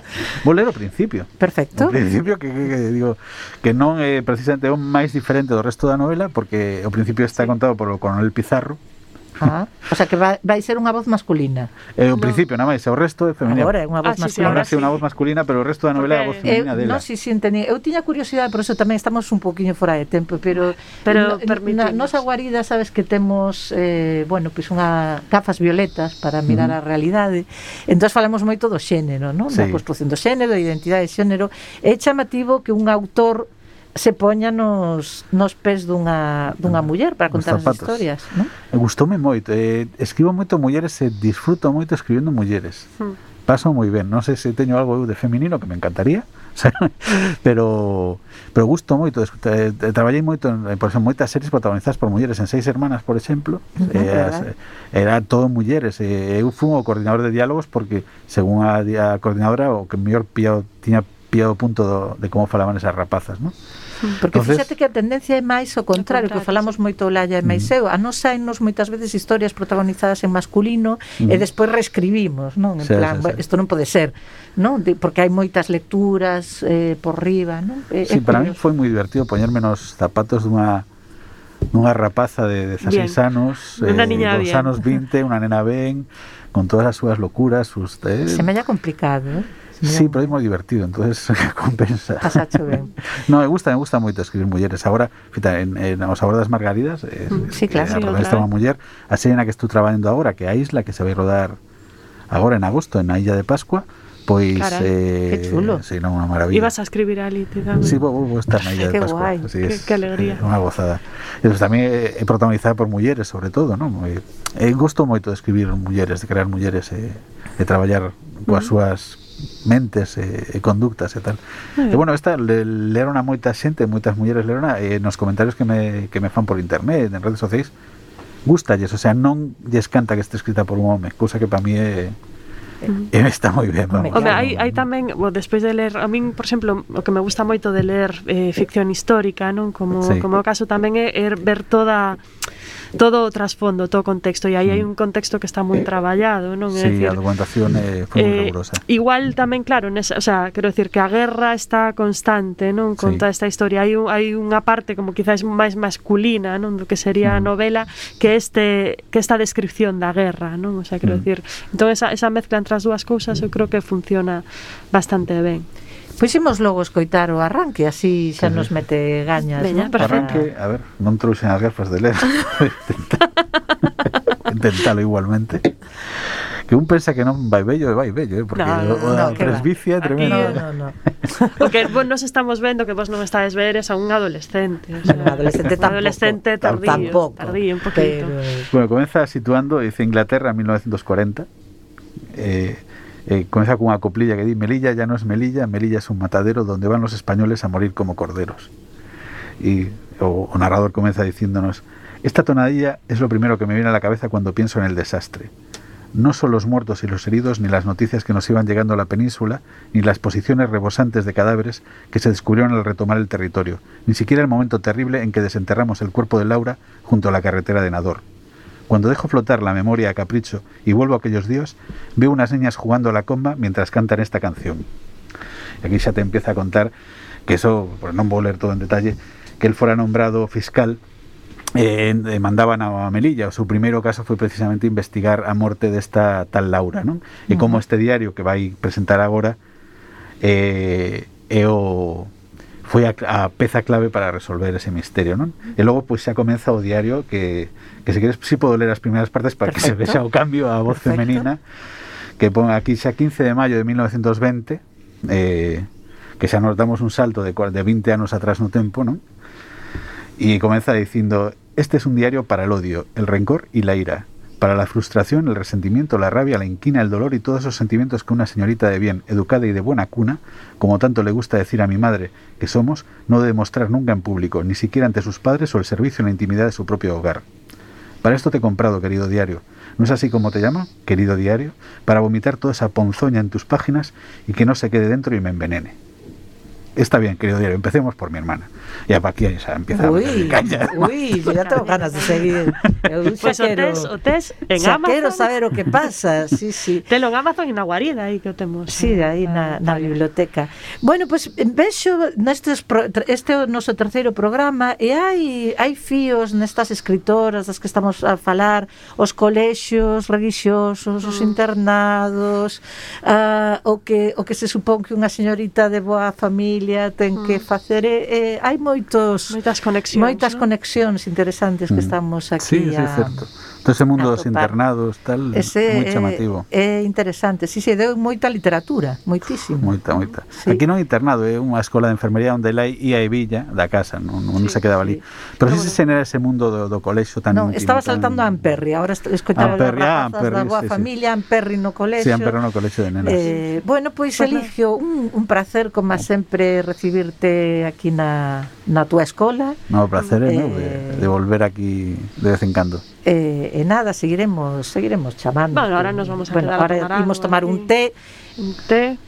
Vou ler o principio. Perfecto. O principio que digo que non é precisamente o máis diferente do resto da novela, porque o principio está contado por o coronel Pizarro. O sea que vai ser unha voz masculina. O principio, nada máis, o resto é femenino. Agora é unha voz masculina. Agora é unha voz masculina, pero o resto da novela é a voz femenina dela. Non, si entendí. Eu tiña curiosidade, por eso tamén estamos un poquinho fora de tempo, pero na nosa guarida, sabes que temos pois unha gafas violetas para mirar a realidade. Entón falamos moito do xénero, non? Da construción do xénero, da identidade de xénero. É chamativo que un autor se poña nos pés dunha muller para contar as historias, non? Gustoume moito, escribo moito mulleres e disfruto moito escribindo mulleres. Paso moi ben, non sei se teño algo de feminino que me encantaría, pero gusto moito, traballei moito por exemplo, moitas series protagonizadas por mulleres, en Seis Hermanas, por exemplo, era todo mulleres, eu fui o coordinador de diálogos porque, según a coordinadora, o que mellor tiña pillado o punto de como falaban esas rapazas, non? Porque fíxate que a tendencia é máis o contrario, que falamos moito Laia e máis eu, a nos saennos moitas veces historias protagonizadas en masculino e despois reescribimos, non? En plan, isto non pode ser, non? Porque hai moitas lecturas por riba, non? Para mí foi moi divertido poñerme nos zapatos dunha rapaza de 16 anos, dos anos 20, unha nena ben, con todas as súas locuras, Se me halla complicado, Sí, pero é moi divertido, entonces compensa. Pasacho ben. No, me gusta moito escribir mulleres. Agora, fita, en O sabor das margaridas, claro, a protagonista é unha muller, a serie na que estou traballando agora, que é a Isla, que se vai rodar agora en agosto, na Illa de Pascua, pois que chulo. Sí, non, unha maravilla. Ibas a escribir ali, te dame. Sí, vou estar na Illa de Pascua. Así que alegría. Unha gozada. E tamén é protagonizada por mulleres, sobre todo, non? Gosto moito de escribir mulleres, de crear mulleres e traballar coas súas mentes e conductas e tal. E bueno, esta leron a moita xente, moitas mulleres leron nos comentarios que me fan por internet, en redes sociais, gustalles, o sea, non lles canta que este escrita por un home, cousa que para mí está moi ben, vamos. Hai tamén, despois de ler, a min, por exemplo, o que me gusta moito de ler ficción histórica, non? Como o caso tamén é ver todo o trasfondo, todo o contexto, e aí hai un contexto que está moi traballado, non? Sí, a documentación foi moi rigurosa. Igual tamén, claro, o sea, quero decir que a guerra está constante, non? Con toda esta historia, hai unha parte como quizás máis masculina, non? Do que sería a novela, que esta descripción da guerra, non? O sea, quero decir, entón esa mezcla entre as dúas cousas eu creo que funciona bastante ben. Pois imos logo escoitar o arranque, así xa nos mete gañas. Veña, arranque, a ver, non trouxen as gafas de ler. Intentalo igualmente. Que un pensa que non vai bello, porque a presbicia é tremenda. No. Porque nos estamos vendo que vos non estades veres a un adolescente, o sea, un adolescente tardío, un poquito. Bueno, comeza situando, dice Inglaterra 1940. Comeza cunha coplilla que di: Melilla ya no es Melilla, Melilla es un matadero donde van los españoles a morir como corderos. Y o narrador comeza diciéndonos: esta tonadilla es lo primero que me viene a la cabeza cuando pienso en el desastre. No son los muertos y los heridos, ni las noticias que nos iban llegando a la península, ni las posiciones rebosantes de cadáveres que se descubrieron al retomar el territorio, ni siquiera el momento terrible en que desenterramos el cuerpo de Laura junto a la carretera de Nador. Cuando dejo flotar la memoria a capricho y vuelvo a aquellos días, veo unas niñas jugando a la comba mientras cantan esta canción. Y aquí xa te empieza a contar que eso, pues non vou ler todo en detalle, que él fuera nombrado fiscal, mandaban a Melilla. O seu primeiro caso foi precisamente investigar a morte desta tal Laura, non? E como este diario que vai presentar agora foi a peza clave para resolver ese misterio, non? E logo pois xa comeza o diario que se queres si podo ler as primeiras partes para que se vexa o cambio a voz femenina, que pon aquí xa 15 de maio de 1920, que xa nos damos un salto de 20 anos atrás no tempo, non? E comeza dicindo: este es un diario para el odio, el rencor y la ira, para la frustración, el resentimiento, la rabia, la inquina, el dolor y todos esos sentimientos que una señorita de bien, educada y de buena cuna, como tanto le gusta decir a mi madre que somos, no debe mostrar nunca en público, ni siquiera ante sus padres o el servicio en la intimidad de su propio hogar. Para esto te he comprado, querido diario. ¿No es así como te llama, querido diario? Para vomitar toda esa ponzoña en tus páginas y que no se quede dentro y me envenene. Está bien, querido diario, empecemos por mi hermana. Ya para aquí ya empieza a meterle caña. Yo ya tengo ganas de seguir. Pues o tes en Amazon. Quero saber o que pasa. Sí, sí. Telo en Amazon e na guarida aí que o temos. Sí, aí na biblioteca. Bueno, pues vexo este é o noso terceiro programa e hai fíos nestas escritoras das que estamos a falar, os colexios religiosos, os internados, o que se supón que unha señorita de boa familia ten que facer. Hai moitas conexións interesantes que estamos aquí. Sí, certo. Todo ese mundo dos internados, tal, moi chamativo. É interesante, sí, deu moita literatura, moitísimo. Moita. Sí. Aquí non é internado, é unha escola de enfermería onde ela ia e villa da casa, non se quedaba ali. Pero si se xenera ese mundo do colexio tan íntimo. Estaba saltando a Amperri, agora escoitaba as rapazas da boa familia, Amperri no colexio. Sí, Amperri no colexio de nenas. Bueno, pois Eligio, un placer, como sempre, recibirte aquí na túa escola. No, placer é meu de volver aquí de vez en cando. E nada, seguiremos chamando. Bueno, ahora nos vamos a quedar ahora imos tomar un té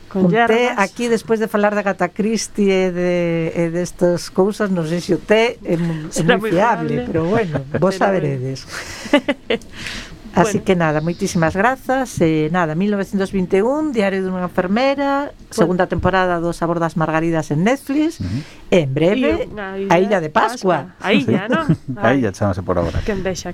con hierbas. Aquí despois de falar da Agatha Christie e destas cousas, non sei se o té é moi fiable, pero bueno, vos saberedes. Así que nada, moitísimas grazas. Nada, 1921, Diario dunha enfermera, segunda temporada do Sabor das Margaridas en Netflix, e en breve a Illa de Pascua. A Illa, non? A Illa, chámase por agora. Que envexa.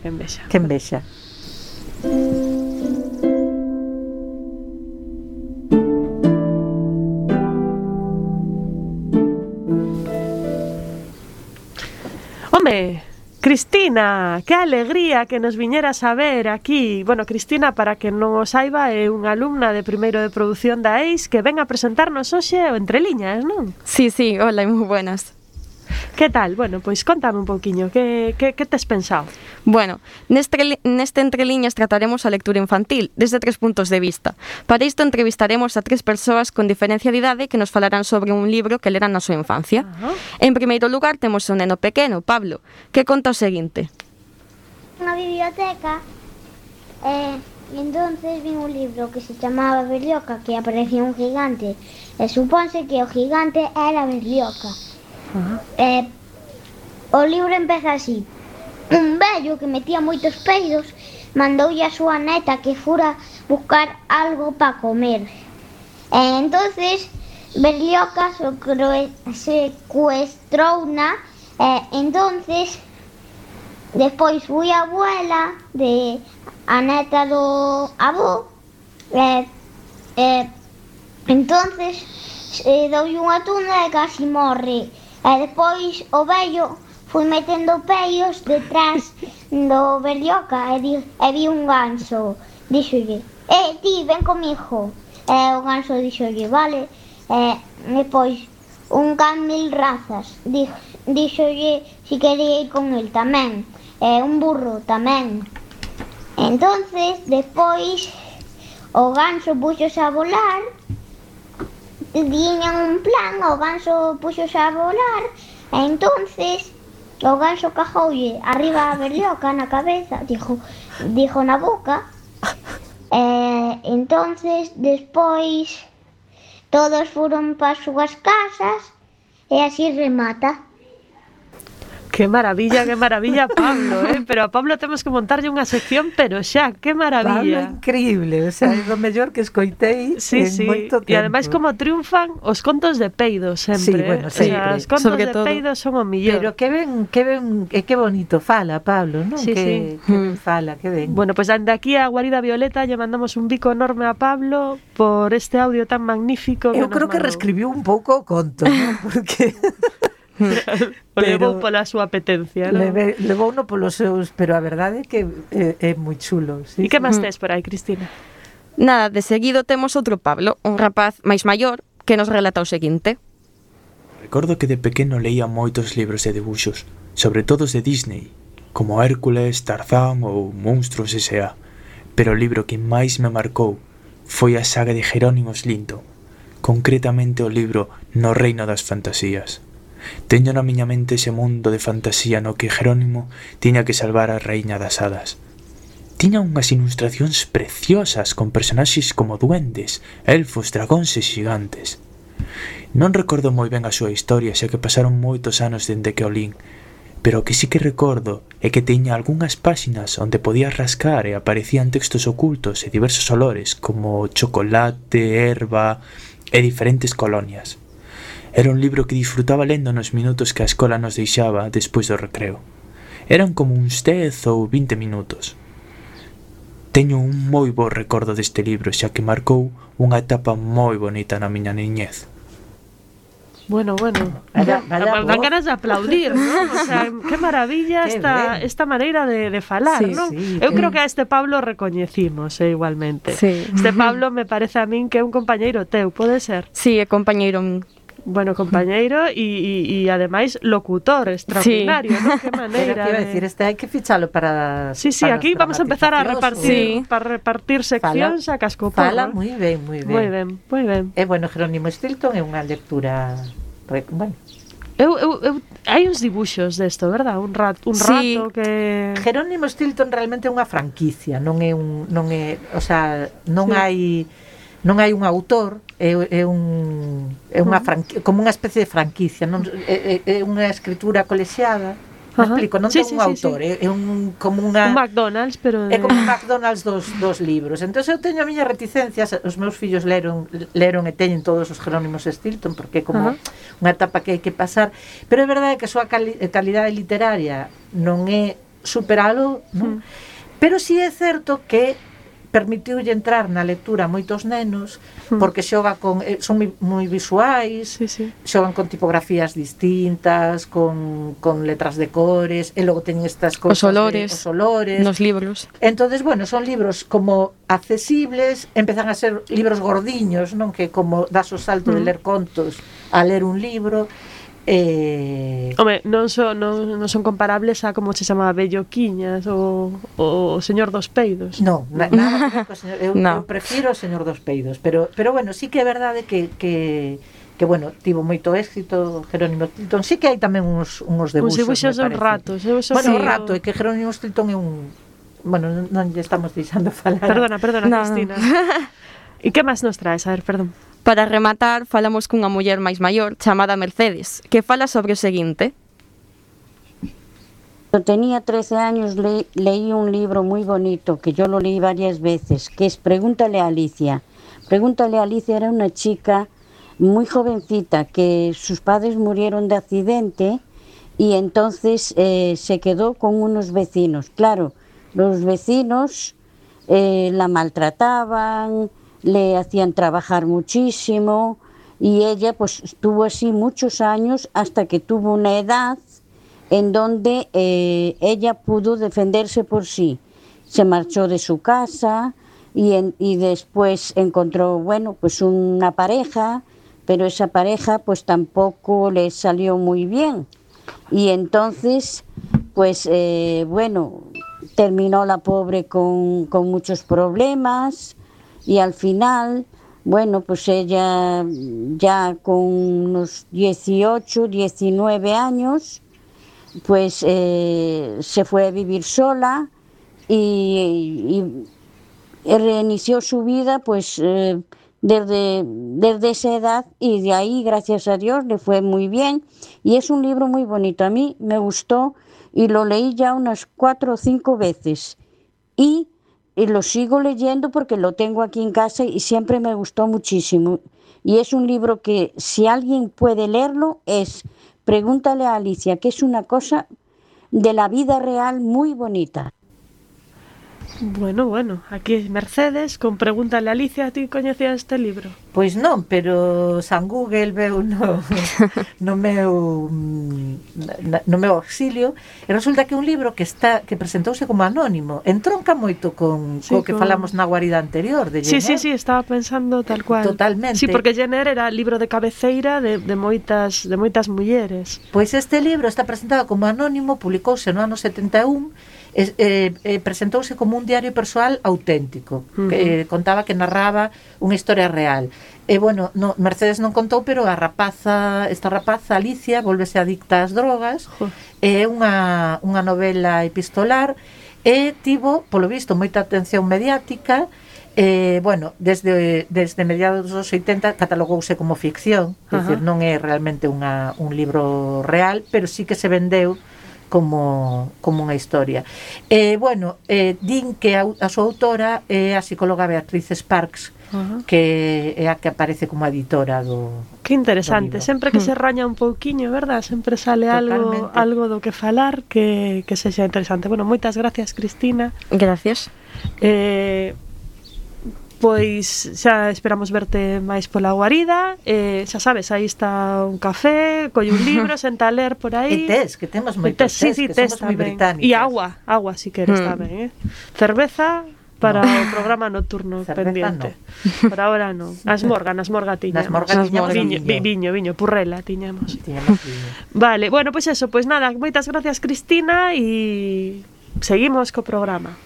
Home, Cristina, que alegría que nos viñeras a ver aquí. Bueno, Cristina, para que non o saiba, é unha alumna de primeiro de produción da EIS que ven a presentarnos hoxe o Entre Liñas, non? Sí, hola, moi buenas. Que tal? Bueno, pois contame un pouquiño, que tes pensado? Bueno, neste Entre Liñas trataremos a lectura infantil desde 3 puntos de vista. Para isto entrevistaremos a 3 persoas con diferencia de idade que nos falarán sobre un libro que leran na súa infancia. En primeiro lugar temos un neno pequeno, Pablo, que conta o seguinte. Na biblioteca entonces vi un libro que se chamaba Berlioca, que aparecía un gigante e supónse que o gigante era Berlioca. O libro empeza así: un vello que metía moitos peidos mandoulle a súa neta que fura buscar algo para comer. Entonces Berlioca secuestrouna. Entonces despois foi a abuela de a neta do avó. Entonces doulle unha tunda e casi morre. E despois o vello foi metendo peios detrás do Berlioca e vi un ganso. Díxolle: ti, ven comigo. E o ganso díxolle: vale. Despois un can 1000 razas. Díxolle si quería ir con el tamén. Un burro tamén. Entonces, despois o ganso puxose a volar. Tiñan un plan, o ganso puxose a volar, e entonces o ganso cajoulle arriba a Berlioca na cabeza, dixo na boca. Entonces despois todos foron para as súas casas e así remata. Que maravilla, Pablo, pero a Pablo temos que montarlle unha sección, pero xa, que maravilla. Pablo, increíble, o sea, é do mellor que escoitei en moito tempo. E ademais como triunfan os contos de peidos sempre. Sí, bueno, sempre. O sea, os contos de peidos son o millor. Pero que bonito fala, Pablo, non? Sí, que ben fala, que ben. Bueno, pues dende aquí a Guarida Violeta lle mandamos un bico enorme a Pablo por este audio tan magnífico. Eu creo que reescribiu un pouco o conto, non? Porque O levou pola súa apetencia, non? Levou no polos seus, pero a verdade é que é moi chulo. E Sí, que máis tes por aí, Cristina? Nada, de seguido temos outro Pablo, un rapaz máis maior, que nos relata o seguinte. Recordo que de pequeno leía moitos libros de debuxos, sobre todo os de Disney, como Hércules, Tarzán ou Monstruos S.A. Pero o libro que máis me marcou foi a saga de Jerónimo Stilton, concretamente o libro No reino das fantasías. Teño na miña mente ese mundo de fantasía no que Jerónimo tiña que salvar a reiña das hadas. Tiña unhas ilustracións preciosas con personaxes como duendes, elfos, dragóns e xigantes. Non recordo moi ben a súa historia, xa que pasaron moitos anos dende que o lín, pero o que sí que recordo é que tiña algunhas páxinas onde podías rascar e aparecían textos ocultos e diversos olores como chocolate, erva e diferentes colonias. Era un libro que disfrutaba lendo nos minutos que a escola nos deixaba despois do recreo. Eran como uns 10 ou 20 minutos. Teño un moi bo recordo deste libro, xa que marcou unha etapa moi bonita na miña niñez. Bueno. Dan ganas de aplaudir, ¿no? O sea, que maravilla esta maneira de falar, Sí, ¿no? sí, Eu creo que a este Pablo recoñecimos, igualmente. Sí. Este Pablo me parece a min que é un compañeiro teu, pode ser? Sí, é compañeiro. Bueno, compañeiro e ademais locutor extraordinario, ¿no? Que Pero maneira. que iba a decir, hai que fichalo para... Sí, para aquí os vamos a empezar a repartir, Sí. para repartir seccións a cascoporro. Fala moi ben, moi ben. Moi ben. E bueno, Jerónimo Stilton é unha lectura... Bueno, Hai uns dibuxos desto, verdad? Un rato Sí. que... Jerónimo Stilton realmente é unha franquicia, non é, o sea, non Sí. hai un autor, é unha como unha especie de franquicia, non é unha escritura colexiada. Me Ajá. explico, non Sí, ten sí, un sí, autor, sí. é como unha Un McDonald's, pero... é como un McDonald's dos libros. Entón eu teño a miña reticencias, os meus fillos leron e teñen todos os Jerónimos Stilton porque é como unha etapa que hai que pasar, pero é verdade que a súa calidade literaria non é superalo, non? Pero si é certo que permitiulle entrar na lectura a moitos nenos porque xoga con son moi visuais, Sí. xogan con tipografías distintas, con letras de cores, e logo teñen estas cousas Os olores nos libros. Entonces, bueno, son libros como accesibles, empezan a ser libros gordiños, non, que como das o salto de ler contos a ler un libro. Home, non son comparables a como se chamaba Belloquiñas ou o Señor dos Peidos. No, nada que ver co señor, eu prefiro o Señor dos Peidos, pero bueno, sí que é verdade que bueno, tivo moito éxito Jerónimo Stilton. Sí que hai tamén uns debuxos. Uns dibuxos de un rato. Bueno, un rato, é que Jerónimo Stilton é un... Bueno, non lle estamos deixando falar. Perdona, Cristina. E que máis nos traes? A ver, perdón. Para rematar, falamos cunha muller máis maior chamada Mercedes, que fala sobre o seguinte. Yo tenía 13 años, leí un libro muy bonito, que yo lo leí varias veces, que es Pregúntale a Alicia. Pregúntale a Alicia era una chica muy jovencita, que sus padres murieron de accidente y entonces se quedó con unos vecinos. Claro, los vecinos la maltrataban, le hacían trabajar muchísimo y ella pues estuvo así muchos años hasta que tuvo una edad en donde ella pudo defenderse por sí. Se marchó de su casa y después encontró, bueno, pues una pareja, pero esa pareja pues tampoco le salió muy bien. Y entonces, pues bueno, terminó la pobre con muchos problemas. Y al final, bueno, pues ella ya con unos 18, 19 años, pues se fue a vivir sola y reinició su vida pues desde esa edad y de ahí, gracias a Dios, le fue muy bien. Y es un libro muy bonito, a mí me gustó y lo leí ya unas 4 o 5 veces. Y lo sigo leyendo porque lo tengo aquí en casa y siempre me gustó muchísimo. Y es un libro que si alguien puede leerlo es Pregúntale a Alicia, que es una cosa de la vida real muy bonita. Bueno, aquí Mercedes con Pregúntale a Alicia, ti coñecías este libro? Pois non, pero San Google veu no meu auxilio e resulta que é un libro que presentouse como anónimo, entronca moito co que falamos na guarida anterior de Jenner. Sí, estaba pensando tal cual. Totalmente. Sí, porque Jenner era libro de cabeceira de moitas mulleres. Pois este libro está presentado como anónimo, publicouse no ano 71, presentouse como un diario persoal auténtico, que contaba que narraba unha historia real. E bueno, Mercedes non contou, pero esta rapaza Alicia volvese adicta ás drogas. É unha novela epistolar e tivo, polo visto, moita atención mediática. Bueno, desde mediados dos 80 catalogouse como ficción, é dicir, non é realmente un libro real, pero sí que se vendeu como unha historia. Bueno, din que a súa autora é a psicóloga Beatriz Sparks, que é a que aparece como editora do... Que interesante, sempre que se raña un pouquiño, verdad? Sempre sale algo do que falar que sexa interesante. Bueno, moitas gracias, Cristina. Gracias. Pois xa esperamos verte máis pola guarida. Xa sabes, aí está un café, colle un libro, senta a ler por aí. E tes, que temos moitos tes, que somos moi británicas. E agua si queres tamén, Cerveza para o programa nocturno pendiente. No. Por ahora non. Nas morga tiñamos. Viño, purrela tiñamos. Vale, bueno, pois eso, pois nada, moitas gracias, Cristina, e seguimos co programa.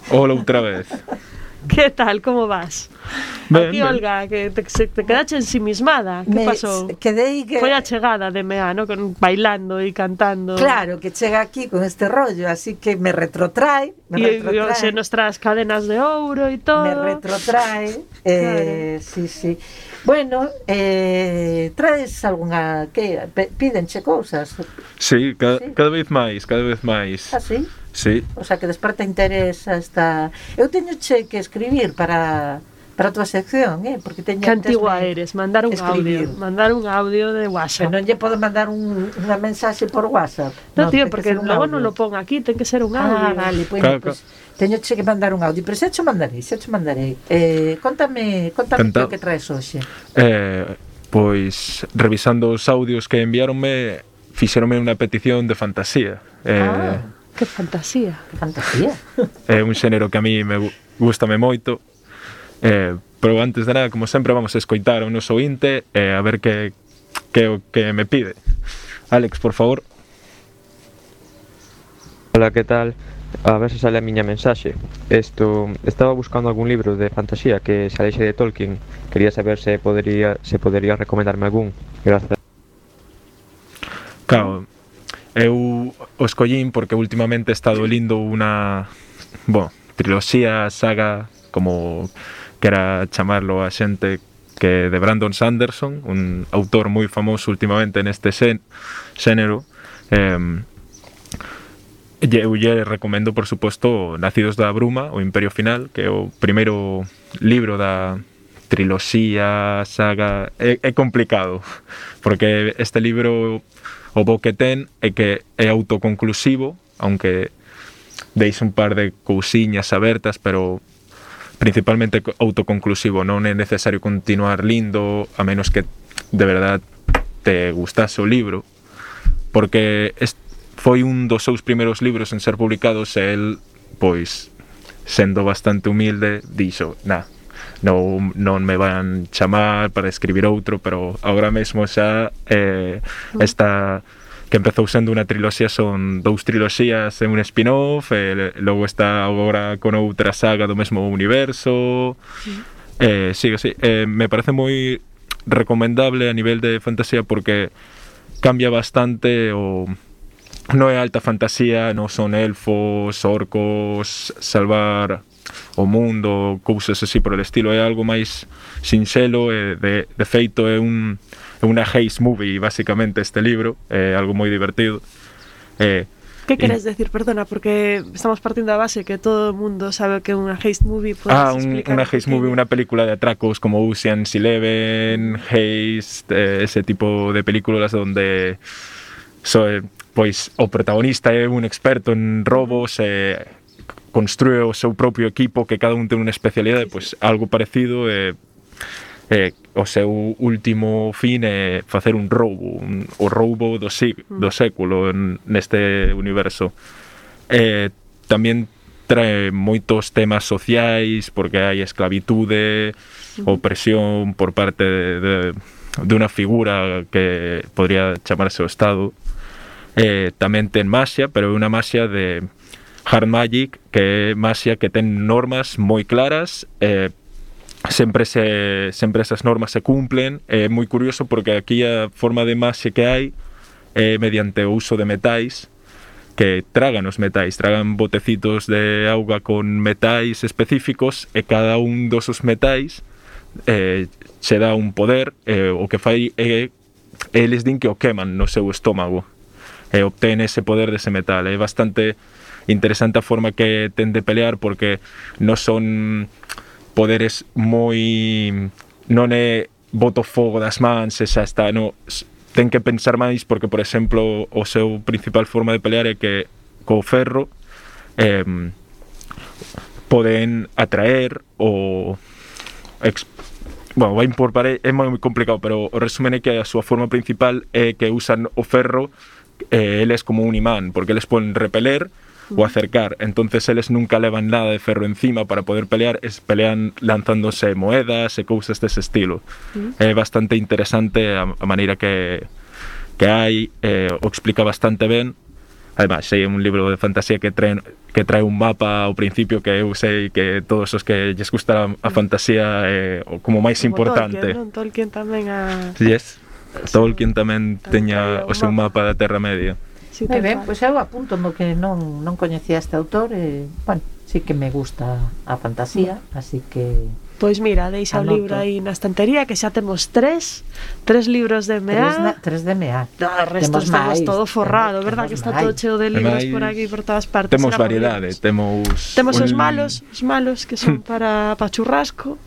Hola outra vez. Que tal, como vas? Ben, aquí, Olga, que te quedaste ensimismada. Que pasou? Foi a chegada de Mea, ¿no? Bailando e cantando. Claro, que chega aquí con este rollo, así que me retrotrae. E nuestras cadenas de ouro e todo. Me retrotrae. Claro. Sí. Bueno, traes algunha... Pídenche cousas? Sí, cada vez máis. Ah, sí? Sí. O sea, que desperta interés esta... Eu teño que escribir para a tua sección, porque teño... Que antigua eres, mandar un audio de WhatsApp. Pero non lle podo mandar unha mensaxe por WhatsApp. No, tío, porque logo non lo pon aquí, ten que ser un audio. Vale, pues teño que mandar un audio, pero xa cho mandarei. Contame o que traes hoxe. Pois, revisando os audios que enviaronme, fixeronme unha petición de fantasía. Que fantasía. É un xénero que a mí me gustame moito. Pero antes de nada, como sempre, vamos a escoitar ao noso ointe a ver que o que me pide. Alex, por favor. Hola, que tal? A ver se sale a miña mensaxe. Estaba buscando algún libro de fantasía que se aleixe de Tolkien. Quería saber se podería recomendarme algún. Gracias. Claro, eu o escollín porque últimamente he estado lindo unha triloxía, saga, como quera chamarlo a xente, que de Brandon Sanderson, un autor moi famoso últimamente neste xénero. Eu lle recomendo, por suposto, Nacidos da Bruma, o Imperio Final, que é o primeiro libro da triloxía, saga. É complicado, porque este libro, o bo que ten é que é autoconclusivo, aunque deixa un par de cousiñas abertas, pero principalmente autoconclusivo. Non é necesario continuar lindo, a menos que de verdad te gustase o libro, porque foi un dos seus primeiros libros en ser publicados e el, pois, sendo bastante humilde, dixo, non me van chamar para escribir outro, pero agora mesmo xa está que empezou sendo unha triloxía, son 2 triloxías e un spin-off, logo está agora con outra saga do mesmo universo. Sí, me parece moi recomendable a nivel de fantasía porque cambia bastante non é alta fantasía, non son elfos, orcos, salvar o mundo, cousas así por el estilo, é algo máis sinxelo, de feito é unha heist movie basicamente este libro, é algo moi divertido. Que queres decir, perdona, porque estamos partindo da base que todo o mundo sabe que é unha heist movie. Unha heist movie, unha película de atracos como Ocean's 11, Heist, ese tipo de películas donde pois o protagonista é un experto en robos e construe o seu propio equipo, que cada un ten unha especialidade, pois algo parecido, o seu último fin é facer un roubo, o roubo do século neste universo. Tamén trae moitos temas sociais, porque hai esclavitude, opresión por parte de unha figura que podría chamarse o Estado. Tamén ten maxia, pero é unha maxia de hard magic, que é maxia que ten normas moi claras, sempre esas normas se cumplen. É moi curioso porque aquí a forma de maxia que hai é mediante o uso de metais, que tragan os metais, tragan botecitos de auga con metais específicos, e cada un dos metais se dá un poder, o que fai é eles din que o queman no seu estómago e obtén ese poder dese metal. É bastante interesante a forma que ten de pelear, porque non son poderes moi... non é boto fogo das mans e xa está, non, ten que pensar máis, porque, por exemplo, o seu principal forma de pelear é que co ferro poden atraer o... vai por pared, é moi complicado, pero o resumen é que a súa forma principal é que usan o ferro, eles como un imán, porque eles poden repeler ou acercar, entonces eles nunca levan nada de ferro encima para poder pelear, pelean lanzándose moedas e cousas dese estilo. É bastante interesante a maneira que hai, o explica bastante ben. Además, é un libro de fantasía que trae un mapa ao principio, que eu sei que todos os que lles gusta a fantasía é como máis importante. Tolkien tamén Yes. Tolkien tamén teña o seu mapa da Terra Media. Moi ben, pois eu apunto no que non coñecía este autor, bueno, sí que me gusta a fantasía, así que... Pois mira, deixa o libro aí na estantería, que xa temos tres libros de M.A. Tres de M.A. O resto estamos todo forrado, verdad? Que está todo cheo de libros por aquí, por todas partes. Temos variedade, temos os malos que son para churrasco,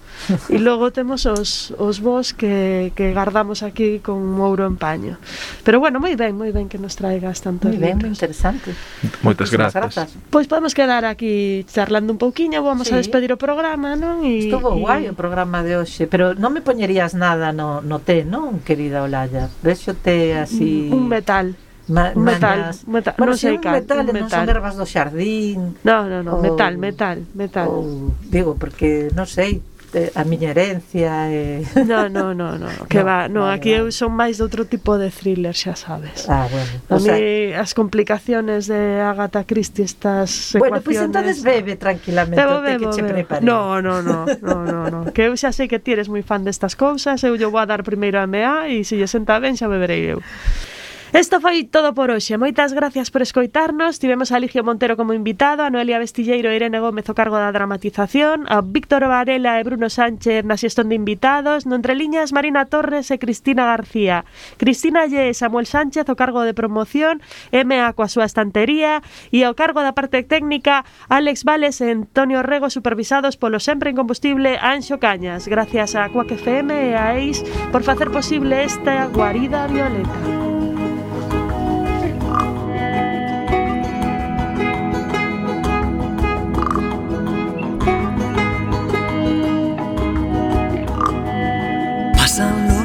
e logo temos os bos que guardamos aquí con ouro en paño. Pero bueno, moi ben que nos traigas tantos libros. Moi interesante. Moitas grazas. Pois podemos quedar aquí charlando un pouquiño, vamos a despedir o programa, non? Estuvo guai o programa de hoxe, pero non me poñerías nada no té, non, querida Olalla? Vexo té así... Un metal. Un metal. Bueno, non sei cal. Non son ervas do xardín. No, metal. Digo, porque, non sei, a miña herencia No, que va, aquí eu son máis de outro tipo de thriller, xa sabes. Bueno. A mí as complicaciones de Agatha Christie, estas ecuaciones... Bueno, pois entonces bebe tranquilamente o té que che prepare. No, que eu xa sei que ti eres moi fan destas cousas, eu vou a dar primeiro a M.A. e se lle senta ben xa beberei eu. Isto foi todo por hoxe. Moitas gracias por escoitarnos. Tivemos a Ligio Montero como invitado, a Noelia Vestilleiro e Irene Gómez o cargo da dramatización, a Víctor Varela e Bruno Sánchez na xestión de invitados, no entreliñas Marina Torres e Cristina García, Cristina Lle e Samuel Sánchez o cargo de promoción, M.A. coa súa estantería, e ao cargo da parte técnica Alex Vales e Antonio Rego, supervisados polo sempre incombustible Anxo Cañas. Gracias a Quack FM e a EIS por facer posible esta guarida violeta.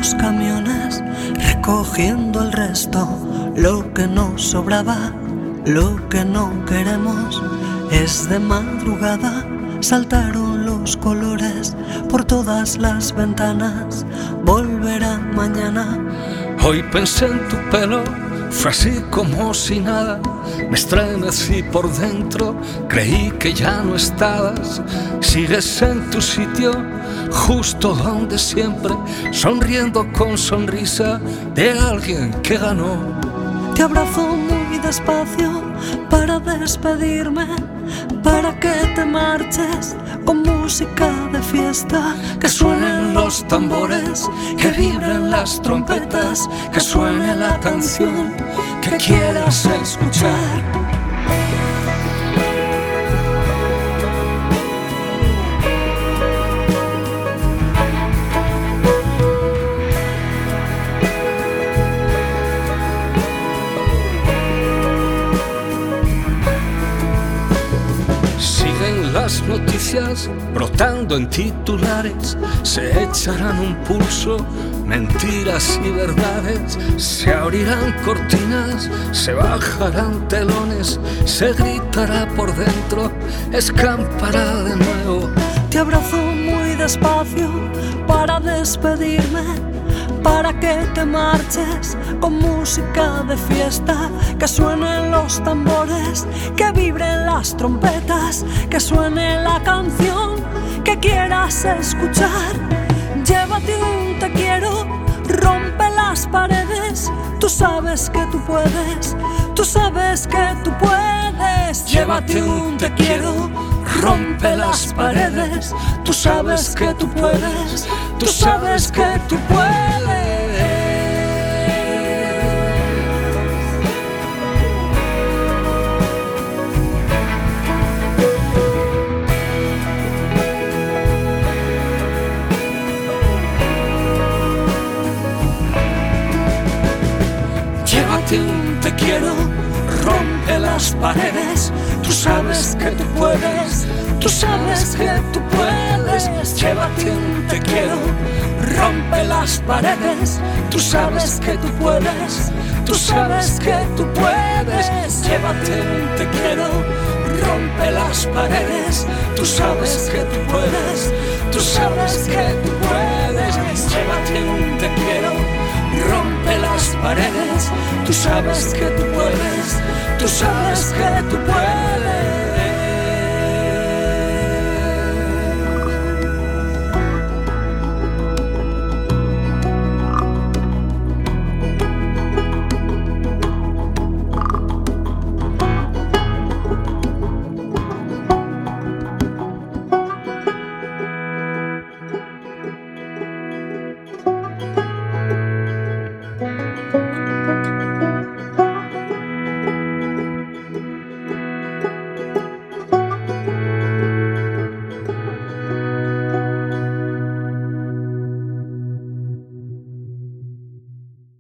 Los camiones recogiendo el resto, lo que nos sobraba, lo que no queremos. Es de madrugada, saltaron los colores por todas las ventanas. Volverá mañana. Hoy pensé en tu pelo Fue así como si nada, me estremecí por dentro, creí que ya no estabas. Sigues en tu sitio, justo donde siempre, sonriendo con sonrisa de alguien que ganó. Te abrazo muy despacio para despedirme, para que te marches con música de fiesta. Que suenen los tambores, que vibren las trompetas, que suene la canción que quieras escuchar. Las noticias brotando en titulares se echarán un pulso, mentiras y verdades, se abrirán cortinas, se bajarán telones, se gritará por dentro, escampará de nuevo. Te abrazo muy despacio para despedirme, para que te marches con música de fiesta, que suenen los tambores, que vibren las trompetas, que suene la canción que quieras escuchar. Llévate un te quiero, rompe las paredes, tú sabes que tú puedes, tú sabes que tú puedes. Llévate un te quiero, rompe las paredes, tú sabes que tú puedes, tú sabes que tú puedes. Llévate un te quiero, rompe las paredes, tú sabes que tú puedes, tú sabes que tú puedes. Llévate un te quiero, rompe las paredes, tú sabes que tú puedes, tú sabes que tú puedes. Llévate un te quiero, rompe las paredes, tú sabes que tú puedes, tú sabes que tú puedes. Llévate un te quiero, rompe las paredes, tú sabes que tú puedes, tú sabes que tú puedes.